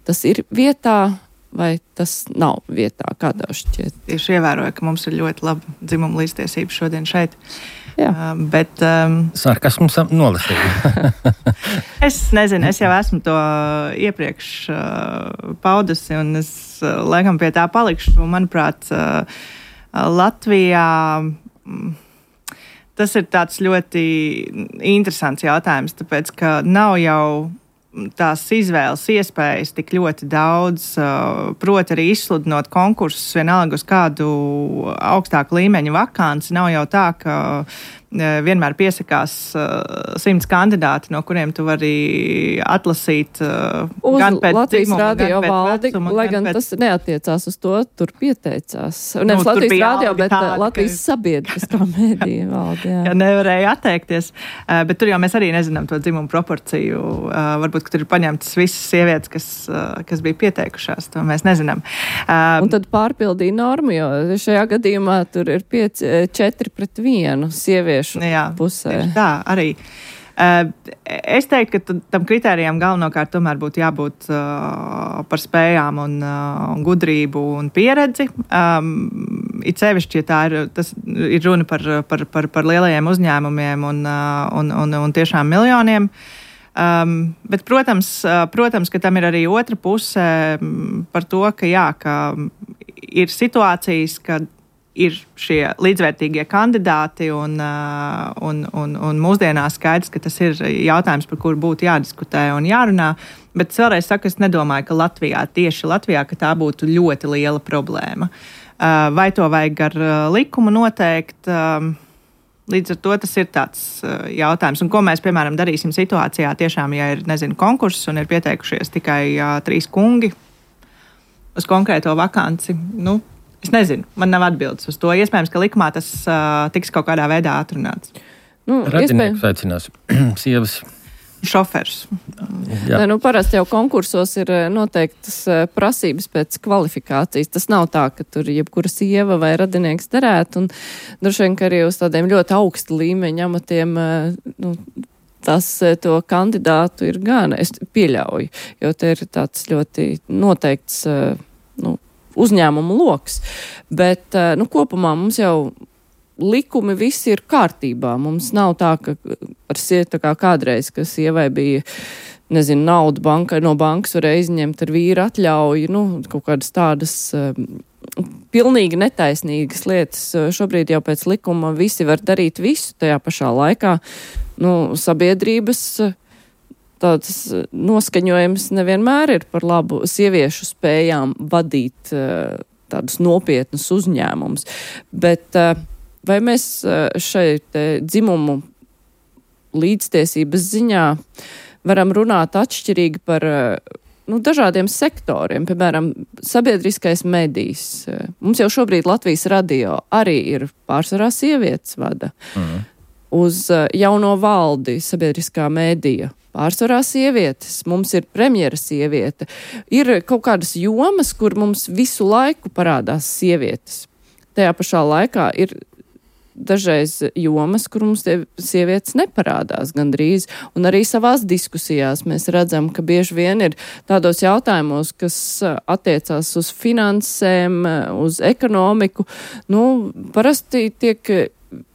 Tas ir vietā vai tas nav vietā? Kā tev šķiet? Tieši ievēroju, ka mums ir ļoti laba dzimuma līdztiesība šodien šeit. Jā. Bet sarkasms nolasīja. es nezinu, es jau esmu to iepriekš paudusi, un es laikam pie tā palikšu. Manuprāt, Latvijā tas ir tāds ļoti interesants jautājums, tāpēc, ka nav jau tās izvēles iespējas tik ļoti daudz, proti arī izsludinot konkursus vienalga uz kādu augstāku līmeņu vakanci. Nav jau tā, ka vienmēr piesakās 100 kandidāti, no kuriem tu vari atlasīt gan pēc Latvijas dzimuma, radio gan pēc valdi, vecuma, lai gan pēc... tas neatiecās uz to, tur pieteicās. Nevis Latvijas radio, bet tāda, Latvijas sabiedriskā mēdīja valdi. Jā, nevarēja atteikties, bet tur jau mēs arī nezinām to dzimumu proporciju. Varbūt, ka tur ir paņemtas visas sievietes, kas bija pieteikušās, to mēs nezinām. Un tad pārpildīja normu, jo šajā gadījumā tur ir 4-1 sieviešu pusē. Tā arī. Es teiktu, ka tam kritērijam galvenokārt tomēr būtu jābūt par spējām un gudrību un pieredzi. It sevišķi, ja tas ir runa par lielajiem uzņēmumiem un tiešām miljoniem. Bet, protams, ka tam ir arī otra puse par to, ka ir situācijas, kad ir šie līdzvērtīgie kandidāti un mūsdienās skaidrs, ka tas ir jautājums, par kuru būtu jādiskutē un jārunā. Bet es vēlreiz saku, es nedomāju, ka tieši Latvijā, ka tā būtu ļoti liela problēma. Vai to vajag ar likumu noteikt? Līdz ar to tas ir tāds jautājums. Un ko mēs, piemēram, darīsim situācijā tiešām, ja ir, konkurss un ir pieteikušies tikai 3 kungi uz konkrēto vakanci? Es nezinu, man nav atbildes uz to. Iespējams, ka likumā tas tiks kaut kādā veidā atrunāts. Radinieks aicinās sievas. Šofers. Parasti jau konkursos ir noteiktas prasības pēc kvalifikācijas. Tas nav tā, ka tur jebkura sieva vai radinieks derētu. Un droši vien, ka arī uz tādiem ļoti augstu līmeņa amatiem to kandidātu ir gan. Es pieļauju, jo te ir tāds ļoti noteikts uzņēmumu loks. Bet, kopumā mums jau likumi visi ir kārtībā. Mums nav tā, ka kā kādreiz, ka sievai bija, naudu no bankas varēja izņemt ar vīru atļauju, kaut kādas tādas pilnīgi netaisnīgas lietas. Šobrīd jau pēc likuma visi var darīt visu tajā pašā laikā. Sabiedrības tāds noskaņojums nevienmēr ir par labu sieviešu spējām vadīt tādus nopietnus uzņēmumus. Bet vai mēs šeit dzimumu līdztiesības ziņā varam runāt atšķirīgi par dažādiem sektoriem, piemēram, sabiedriskais medijs. Mums jau šobrīd Latvijas radio arī ir pārsvarā sievietes vada. Uz jauno valdi sabiedriskā medija. Pārsvarā sievietes, mums ir premjera sieviete. Ir kaut kādas jomas, kur mums visu laiku parādās sievietes. Tajā pašā laikā ir dažreiz jomas, kur mums sievietes neparādās gandrīz. Un arī savās diskusijās mēs redzam, ka bieži vien ir tādos jautājumos, kas attiecās uz finansēm, uz ekonomiku. Parasti tiek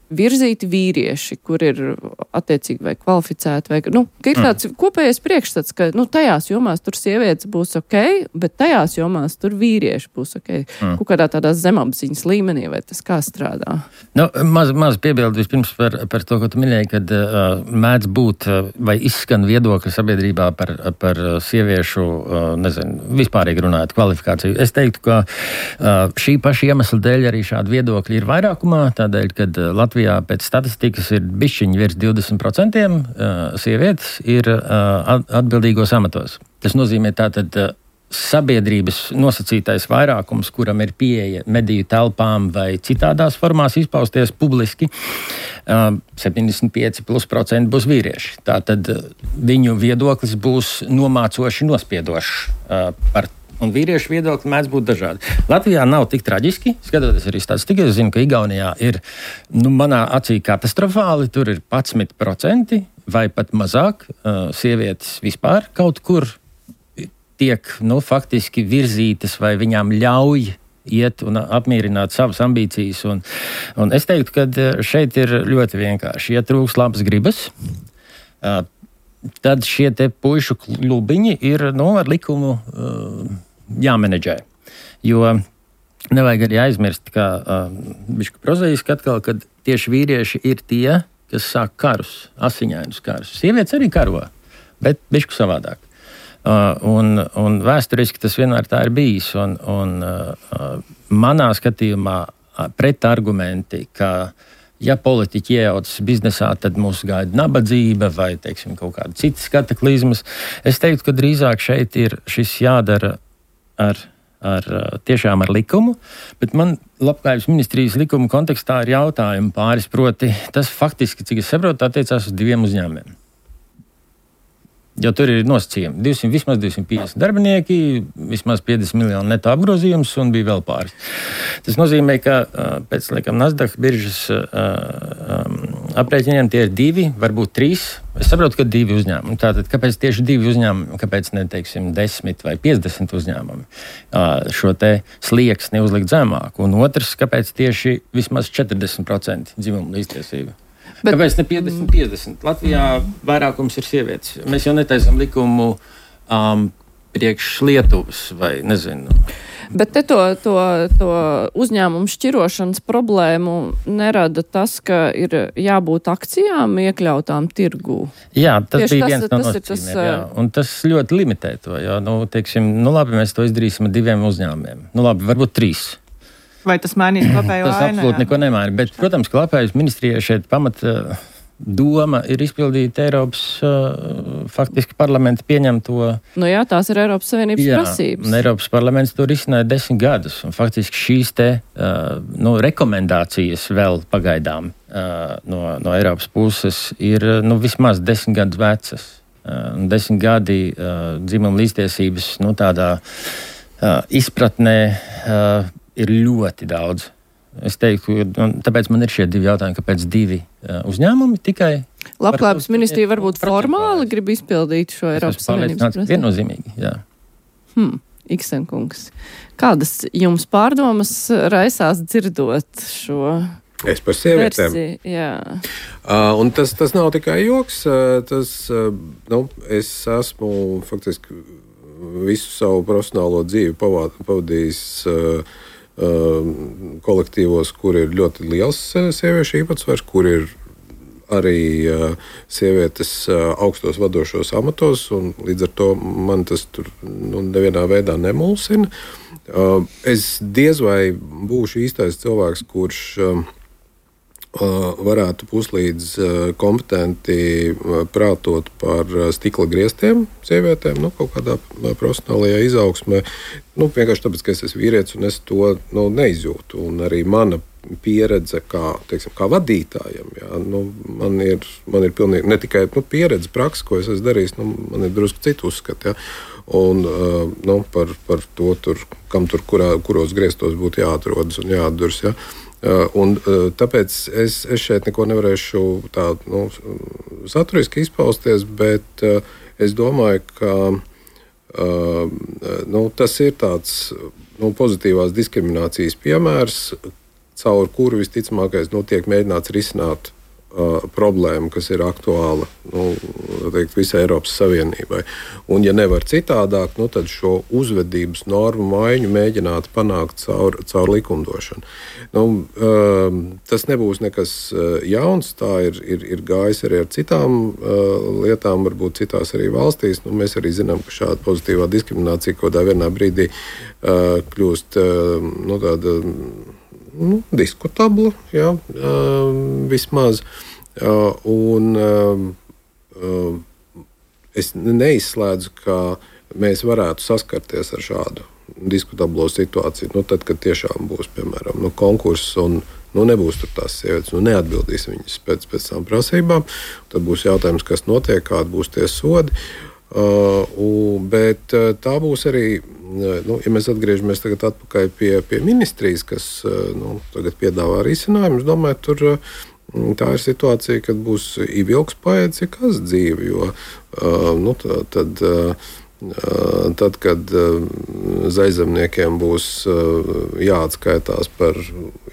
virzīti vīrieši, kur ir attiecīgi vai kvalificēti, vai, ka ir tāds kopējais priekšstats, ka, tajās jomās tur sievietes būs ok, bet tajās jomās tur vīrieši būs ok. Kaut kādā tādā zemapziņas līmenī, vai tas kā strādā? Maz piebildu vispirms par to, ko tu minēji, kad mēdz būt vai izskan viedokļi sabiedrībā par sieviešu, vispārīgi runājot kvalifikāciju. Es teiktu, ka šī paša iemesla dēļ arī šādi viedokļi ir vairākumā, tādēļ, kad Latvijā pēc statistikas ir bišķiņi virs 20% sievietes ir atbildīgos amatos. Tas nozīmē tātad sabiedrības nosacītais vairākums, kuram ir pieeja mediju telpām vai citādās formās izpausties publiski, 75% būs vīrieši. Tātad viņu viedoklis būs nomācoši nospiedošs par un vīriešu viedokļi mēdz būt dažādi. Latvijā nav tik traģiski, skatoties arī statistiku. Es zinu, ka Igaunijā ir, manā acī katastrofāli, tur ir 11% vai pat mazāk sievietes vispār kaut kur tiek, faktiski virzītas vai viņām ļauj iet un apmierināt savas ambīcijas. Un es teiktu, ka šeit ir ļoti vienkārši. Ja trūks labas gribas, tad šie te puišu klubiņi ir, ar likumu jāmenedžē. Jo nevajag arī aizmirst, ka bišķi prozaiski atkal, kad tieši vīrieši ir tie, kas sāk karus, asiņainus karus. Sievietes arī karo, bet bišķi savādāk. Un vēsturiski tas vienmēr tā ir bijis. Un manā skatījumā pretargumenti, ka ja politiķi iejaucas biznesā, tad mūs gaida nabadzība vai, kaut kāda citas kataklizmas. Es teiktu, ka drīzāk šeit ir šis jādara tiešām ar likumu, bet man Labklājības ministrijas likuma kontekstā ir jautājumi pāris, proti tas faktiski, cik es saprotu, attiecās uz 2 uzņēmumiem. Jo tur ir nosacījumi. Vismaz 250 darbinieki, vismaz 50 miljonu neto apgrozījums un bija vēl pāris. Tas nozīmē, ka pēc Nasdaq biržas aprēķiniem tie ir 2, varbūt 3. Es saprotu, ka 2 uzņēmumi. Tātad, kāpēc tieši 2 uzņēmumi, kāpēc ne, 10 vai 50 uzņēmumi šo te slieksni uzlikt zemāku? Un otrs, kāpēc tieši vismaz 40% dzimumu līdztiesība? Kāpēc ne 50-50? Latvijā vairākums ir sievietes. Mēs jau netaisam likumu priekš Lietuvas vai nezinu. Bet te to uzņēmumu šķirošanas problēmu nerada tas, ka ir jābūt akcijām iekļautām tirgū. Jā, tas bija viens no nosacījumiem. Un tas ļoti limitē to. Jo, labi, mēs to izdarīsim ar 2 uzņēmumiem. Labi, varbūt 3. Vai tas mainīs kopējo ainu? Tas absolūti neko nemaina. Bet, protams, ka Labklājības ministrijai šeit pamata doma ir izpildīt Eiropas faktiski parlamenta pieņemto. Jā, tās ir Eiropas Savienības prasības. Eiropas parlaments to risināja 10 gadus. Un faktiski šīs te rekomendācijas vēl pagaidām no Eiropas puses ir vismaz 10 gadus vecas. 10 gadi dzimuma līdztiesības tādā izpratnē ir ļoti daudz. Es teiktu, tāpēc man ir šie 2 jautājumi, kāpēc 2 uzņēmumi tikai. Labklājības ministrija varbūt formāli grib izpildīt šo Eiropas Savienības prasību. Viennozīmīgi, jā. Iksenkungs, kādas jums pārdomas raisās dzirdot šo Es par sievietēm. versiju? Jā. Un tas nav tikai joks. Es esmu faktiski visu savu profesionālo dzīvi pavadījis kolektīvos, kur ir ļoti liels sieviešu īpatsvars, kur ir arī sievietes augstos vadošos amatos, un līdz ar to man tas tur nevienā veidā nemulsina. Es diez vai būšu īstais cilvēks, kurš varētu puslīdz kompetenti prātot par stikla griestiem sievietēm, kaut kādā profesionālajā izaugsmē. Vienkārši tāpēc, ka es esmu vīrietis un es to neizjūtu. Un arī mana pieredze kā vadītājam, man ir pilnīgi ne tikai pieredze, praksa, ko es esmu darījis, man ir drusku citu uzskatu. Ja? Un par to, kuros griestos būtu jāatrodas un jāatdurs. Ja? Un tāpēc es šeit neko nevarēšu tā saturiski izpausties, bet es domāju, ka tas ir tāds pozitīvās diskriminācijas piemērs, caur kuru visticamākais tiek mēģināts risināt problēma, kas ir aktuāla visai Eiropas Savienībai. Un, ja nevar citādāk, tad šo uzvedības normu maiņu mēģināt panākt caur likumdošanu. Tas nebūs nekas jauns, tā ir gājis arī ar citām lietām, varbūt citās arī valstīs. Mēs arī zinām, ka šāda pozitīvā diskriminācija kādā vienā brīdī kļūst tāda diskutabla, vismaz. Es neizslēdzu, ka mēs varētu saskarties ar šādu diskutablo situāciju. Tad, kad tiešām būs, piemēram, konkurss un nebūs tur tās sievietes, neatbildīs viņas pēc tām prasībām, tad būs jautājums, kas notiek, kādi būs tie sodi. Bet tā būs arī, ja mēs atgriežamies tagad atpakaļ pie ministrijas, kas tagad piedāvā risinājumus, domāju, tur tā ir situācija, kad būs ilgspējīgs, ja kas dzīve, jo tad, kad zaļzemniekiem būs jāatskaitās par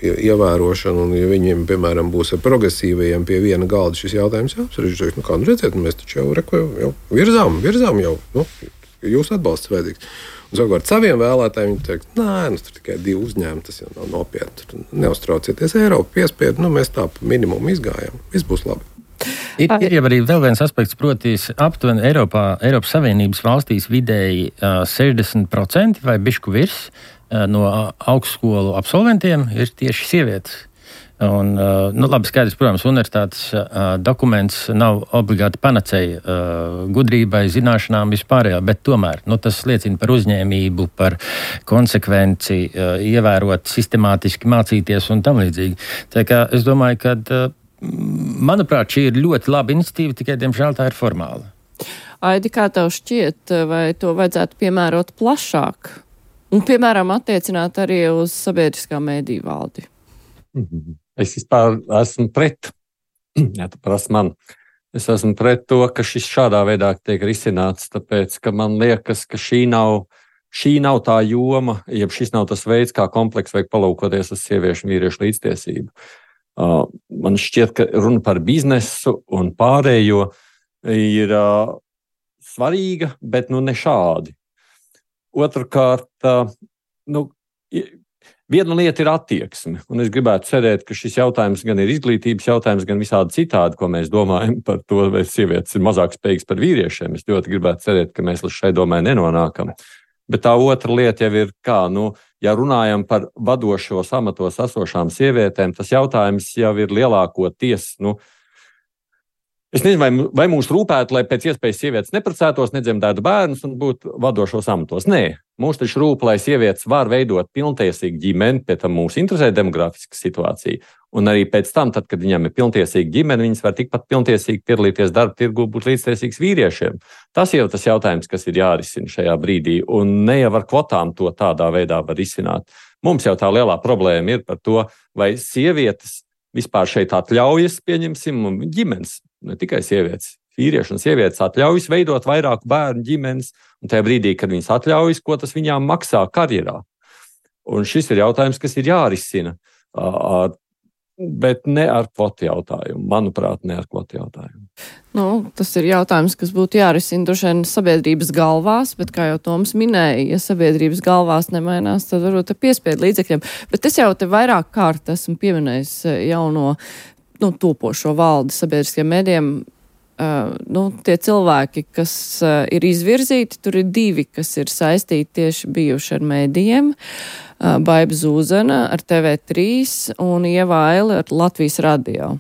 ievērošanu, un ja viņiem, piemēram, būs ar progresīvajiem pie viena galda šis jautājums jāapspriež, redziet, mēs taču jau virzām jau, jūs atbalsts vajadzīgs. Un savukārt saviem vēlētājiem viņi teikt, tur tikai 2 uzņēmumi, tas jau nav nopietni. Neuztraucieties, Eiropa piespied, mēs tā pa minimumu izgājām, viss būs labi. Ir jau arī vēl viens aspekts, proti, aptuveni Eiropas Savienības valstīs vidēji 60% vai bišku virs no augstskolu absolventiem ir tieši sievietes. Un, labi, skaidrs, protams, universitātes dokuments nav obligāti panacēja gudrībai, zināšanām vispārējā, bet tomēr tas liecina par uzņēmību, par konsekvenci, ievērot sistemātiski mācīties un tam līdzīgi. Tā kā es domāju, ka, manuprāt, šī ir ļoti laba iniciatīva, tikai, diemžēl, tā ir formāla. Aidi, kā tev šķiet, vai to vajadzētu piemērot plašāk? Un, piemēram, attiecināt arī uz sabiedriskā mēdīju valdi? Es vispār esmu pret, ja tu prasi man, es esmu pret to, ka šis šādā veidā tiek risināts, tāpēc, ka man liekas, ka šī nav tā joma, ja šis nav tas veids, kā kompleks vajag palūkoties uz sieviešu un vīriešu līdztiesību. Man šķiet, ka runa par biznesu un pārējo ir svarīga, bet ne šādi. Otrkārt, viena lieta ir attieksme, un es gribētu cerēt, ka šis jautājums gan ir izglītības jautājums, gan visādi citādi, ko mēs domājam par to, vai sievietes ir mazāk spējīgas par vīriešiem. Es ļoti gribētu cerēt, ka mēs līdz šai domai nenonākam. Bet tā otra lieta jau ir, ja runājam par vadošos amatos esošām sievietēm, tas jautājums jau ir lielākoties, es nezinu, vai mums rūpētu, lai pēc iespējas sievietes neprecētos, nedzemdētu bērnus un būtu vadošos amatos. Nē, mums taču rūp, lai sievietes var veidot pilntiesīgu ģimeni, pie tam mūs interesē demografiska situācija. Un arī pēc tam, tad, kad viņam ir pilntiesīga ģimene, viņas var tikpat pilntiesīgi piedalīties darba tirgū, būt līdztiesīgs vīriešiem. Tas jau tas jautājums, kas ir jārisina šajā brīdī, un ne jau ar kvotām to tādā veidā var risināt. Mums jau tā lielā problēma ir par to, vai sievietes vispār šeit atļaujas, pieņemsim, ģimenes, ne tikai sievietes, vīrieši un sievietes atļaujas veidot vairāku bērnu ģimenes, un tajā brīdī, kad viņas atļaujas, ko tas viņām maksā karjerā. Un šis ir jautājums, kas ir jārisina, bet ne ar kvotu jautājumu. Manuprāt, ne ar kvotu jautājumu. Tas ir jautājums, kas būtu jārisina droši vien sabiedrības galvās, bet, kā jau Toms minēja, ja sabiedrības galvās nemainās, tad varbūt piespiedu līdzekļiem. Bet es jau te vairāk kārt esmu pieminējis jauno topošo valdi sabiedriskiem mēdiem. Tie cilvēki, kas ir izvirzīti, tur ir 2, kas ir saistīti tieši bijuši ar mēdījiem. Baiba Zūzena ar TV3 un Ieva Aile ar Latvijas radio.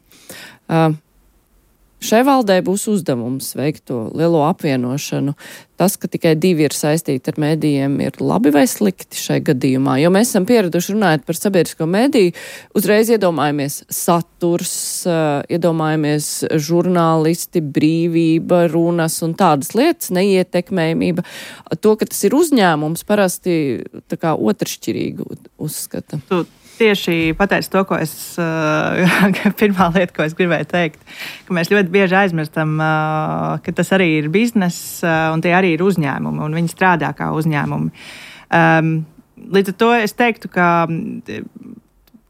Šai valdei būs uzdevums veikt to lielo apvienošanu. Tas, ka tikai 2 ir saistīti ar mēdījiem, ir labi vai slikti šai gadījumā? Jo mēs esam pieraduši runājot par sabiedrisko mēdīju, uzreiz iedomājamies saturs, iedomājamies žurnālisti, brīvība, runas un tādas lietas, neietekmējumība. To, ka tas ir uzņēmums, parasti tā kā otršķirīgi uzskata. Tieši pateicu to, ko pirmā lieta, ko es gribēju teikt, ka mēs ļoti bieži aizmirstam, ka tas arī ir bizness un tie arī ir uzņēmumi un viņi strādā kā uzņēmumi. Līdz ar to es teiktu, ka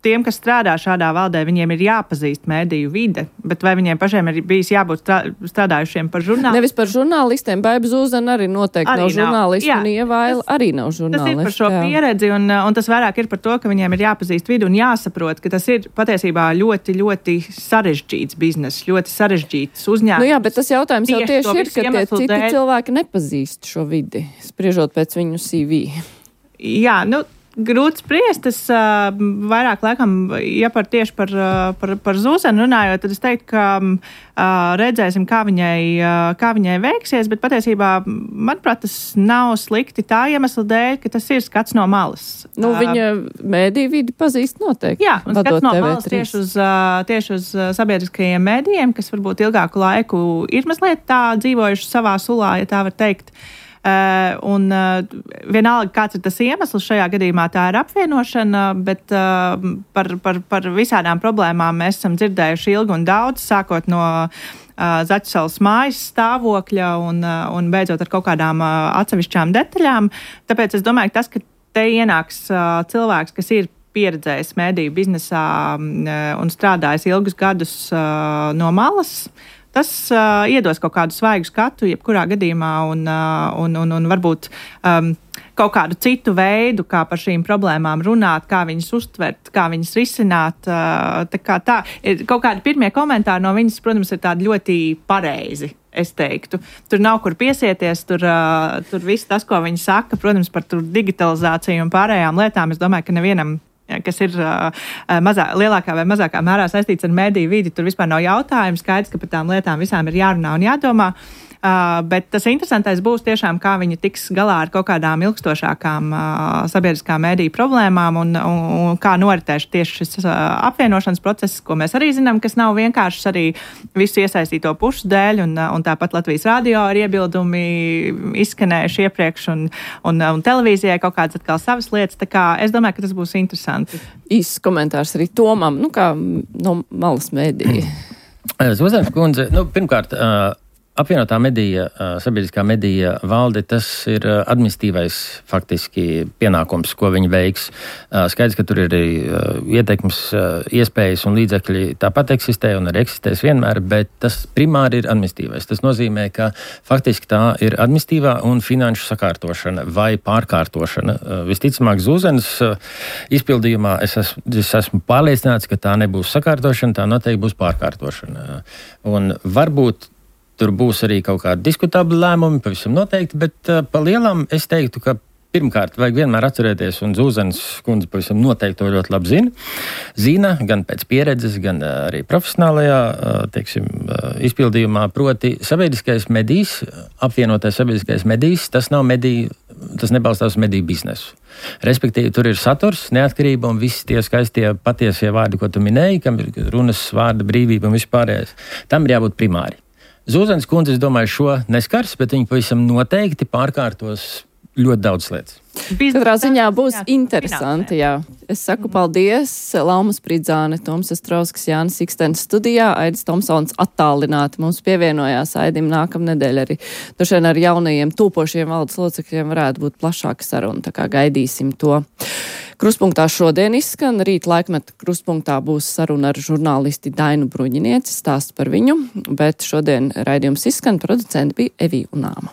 tiem, kas strādā šādā valdē, viņiem ir jāpazīst mēdīju vide, bet vai viņiem pašiem ir bijis jābūt strādājušiem par žurnālistiem? Nevis par žurnālistiem, Baiba Zūzena arī noteikti arī nav žurnālisti, un Ievaila arī nav žurnālisti. Tas ir par šo pieredzi, un tas vairāk ir par to, ka viņiem ir jāpazīst vidu un jāsaprot, ka tas ir patiesībā ļoti, ļoti sarežģīts biznes, ļoti sarežģīts uzņēmums. Jā, bet tas jautājums jau tieši ir, ka tie citi cilvēki nepazīst šo vidi, spriežot pēc viņu CV. Jā, grūti spriest. Es vairāk laikam, ja tieši par Zūzenu runājot, tad es teiktu, ka redzēsim, kā viņai veiksies, bet patiesībā, manuprāt, tas nav slikti tā iemesla dēļ, ka tas ir skats no malas. Viņa mēdīju vidi pazīst noteikti. Jā, un skats no malas tieši uz sabiedriskajiem mēdījiem, kas varbūt ilgāku laiku ir mazliet tā dzīvojuši savā sulā, ja tā var teikt. Vienalga, kāds ir tas iemesls šajā gadījumā, tā ir apvienošana, bet par visādām problēmām mēs esam dzirdējuši ilgi un daudz, sākot no Zaķusalas mājas stāvokļa un beidzot ar kaut kādām atsevišķām detaļām. Tāpēc es domāju, ka tas, ka te ienāks cilvēks, kas ir pieredzējis mēdīju biznesā un strādājis ilgus gadus no malas, tas iedos kaut kādu svaigu skatu, jebkurā gadījumā, un varbūt kaut kādu citu veidu, kā par šīm problēmām runāt, kā viņas uztvert, kā viņas risināt. Tā. Kaut kādi pirmie komentāri no viņas, protams, ir tādi ļoti pareizi, es teiktu. Tur nav kur piesieties, tur viss tas, ko viņi saka, protams, par digitalizāciju un pārējām lietām, es domāju, ka nevienam, kas ir lielākā vai mazākā mērā saistīts ar mēdīju vidi, tur vispār nav jautājumu. Skaidrs, ka par tām lietām visām ir jārunā un jādomā. Bet tas interesantais būs tiešām, kā viņi tiks galā ar kaut kādām ilgstošākām sabiedriskā mēdīju problēmām un kā noritēs tieši šis apvienošanas process, ko mēs arī zinām, kas nav vienkāršs arī visu iesaistīto pušu dēļ, un tāpat Latvijas radio ir iebildumi izskanējuši iepriekš, un televīzijai kaut kādas atkal savas lietas. Tā kā es domāju, ka tas būs interesanti. Īsts komentārs arī Tomam, kā no malas mēdīja. Zūzenes kundze, pirmkārt, apvienotā medija, sabiedriskā medija valde, tas ir administratīvais faktiski pienākums, ko viņi veiks. Skaidrs, ka tur ir arī ieteikums, iespējas un līdzekļi tāpat eksistē un arī eksistēs vienmēr, bet tas primāri ir administratīvais. Tas nozīmē, ka faktiski tā ir administratīvā un finanšu sakārtošana vai pārkārtošana. Visticamāk, Zūzenes izpildījumā es esmu pārliecināts, ka tā nebūs sakārtošana, tā noteikti būs pārkārtošana. Un varbūt tur būs arī kaut kādi diskutabli lēmumi, pavisam noteikti, bet pa lielām es teiktu, ka pirmkārt vajag vienmēr atcerēties, un Zūzenes kundze pavisam noteikti to ļoti labi zina, gan pēc pieredzes, gan arī profesionālajā, izpildījumā, proti sabiedriskais medijs, apvienotais sabiedriskais medijs, tas nebalstās uz mediju biznesu. Respektīvi, tur ir saturs, neatkarība un visi tie skaistie patiesie vārdi, ko tu minēji, kam ir runas, vārda brīvība un vispārējais. Tam ir jābūt primāri. Zūzenes kundze, es domāju, šo neskars, bet viņi pavisam noteikti pārkārtos ļoti daudz lietas. Katrā ziņā būs interesanti, jā. Es saku paldies Lauma Spridzāne, Toms Astrovskis, Jānis Ikstens studijā, Aidis Tomsons attālināti mums pievienojās. Aidim nākamnedēļ arī došien ar jaunajiem tūpošiem valdes locekļiem varētu būt plašāka saruna, tā kā gaidīsim to. Kruspunktā šodien izskan, rīt laikmeta kruspunktā būs saruna ar žurnālisti Dainu Bruņinieci, stāsts par viņu, bet šodien raidījums izskan, producenti bija Evija Unāma.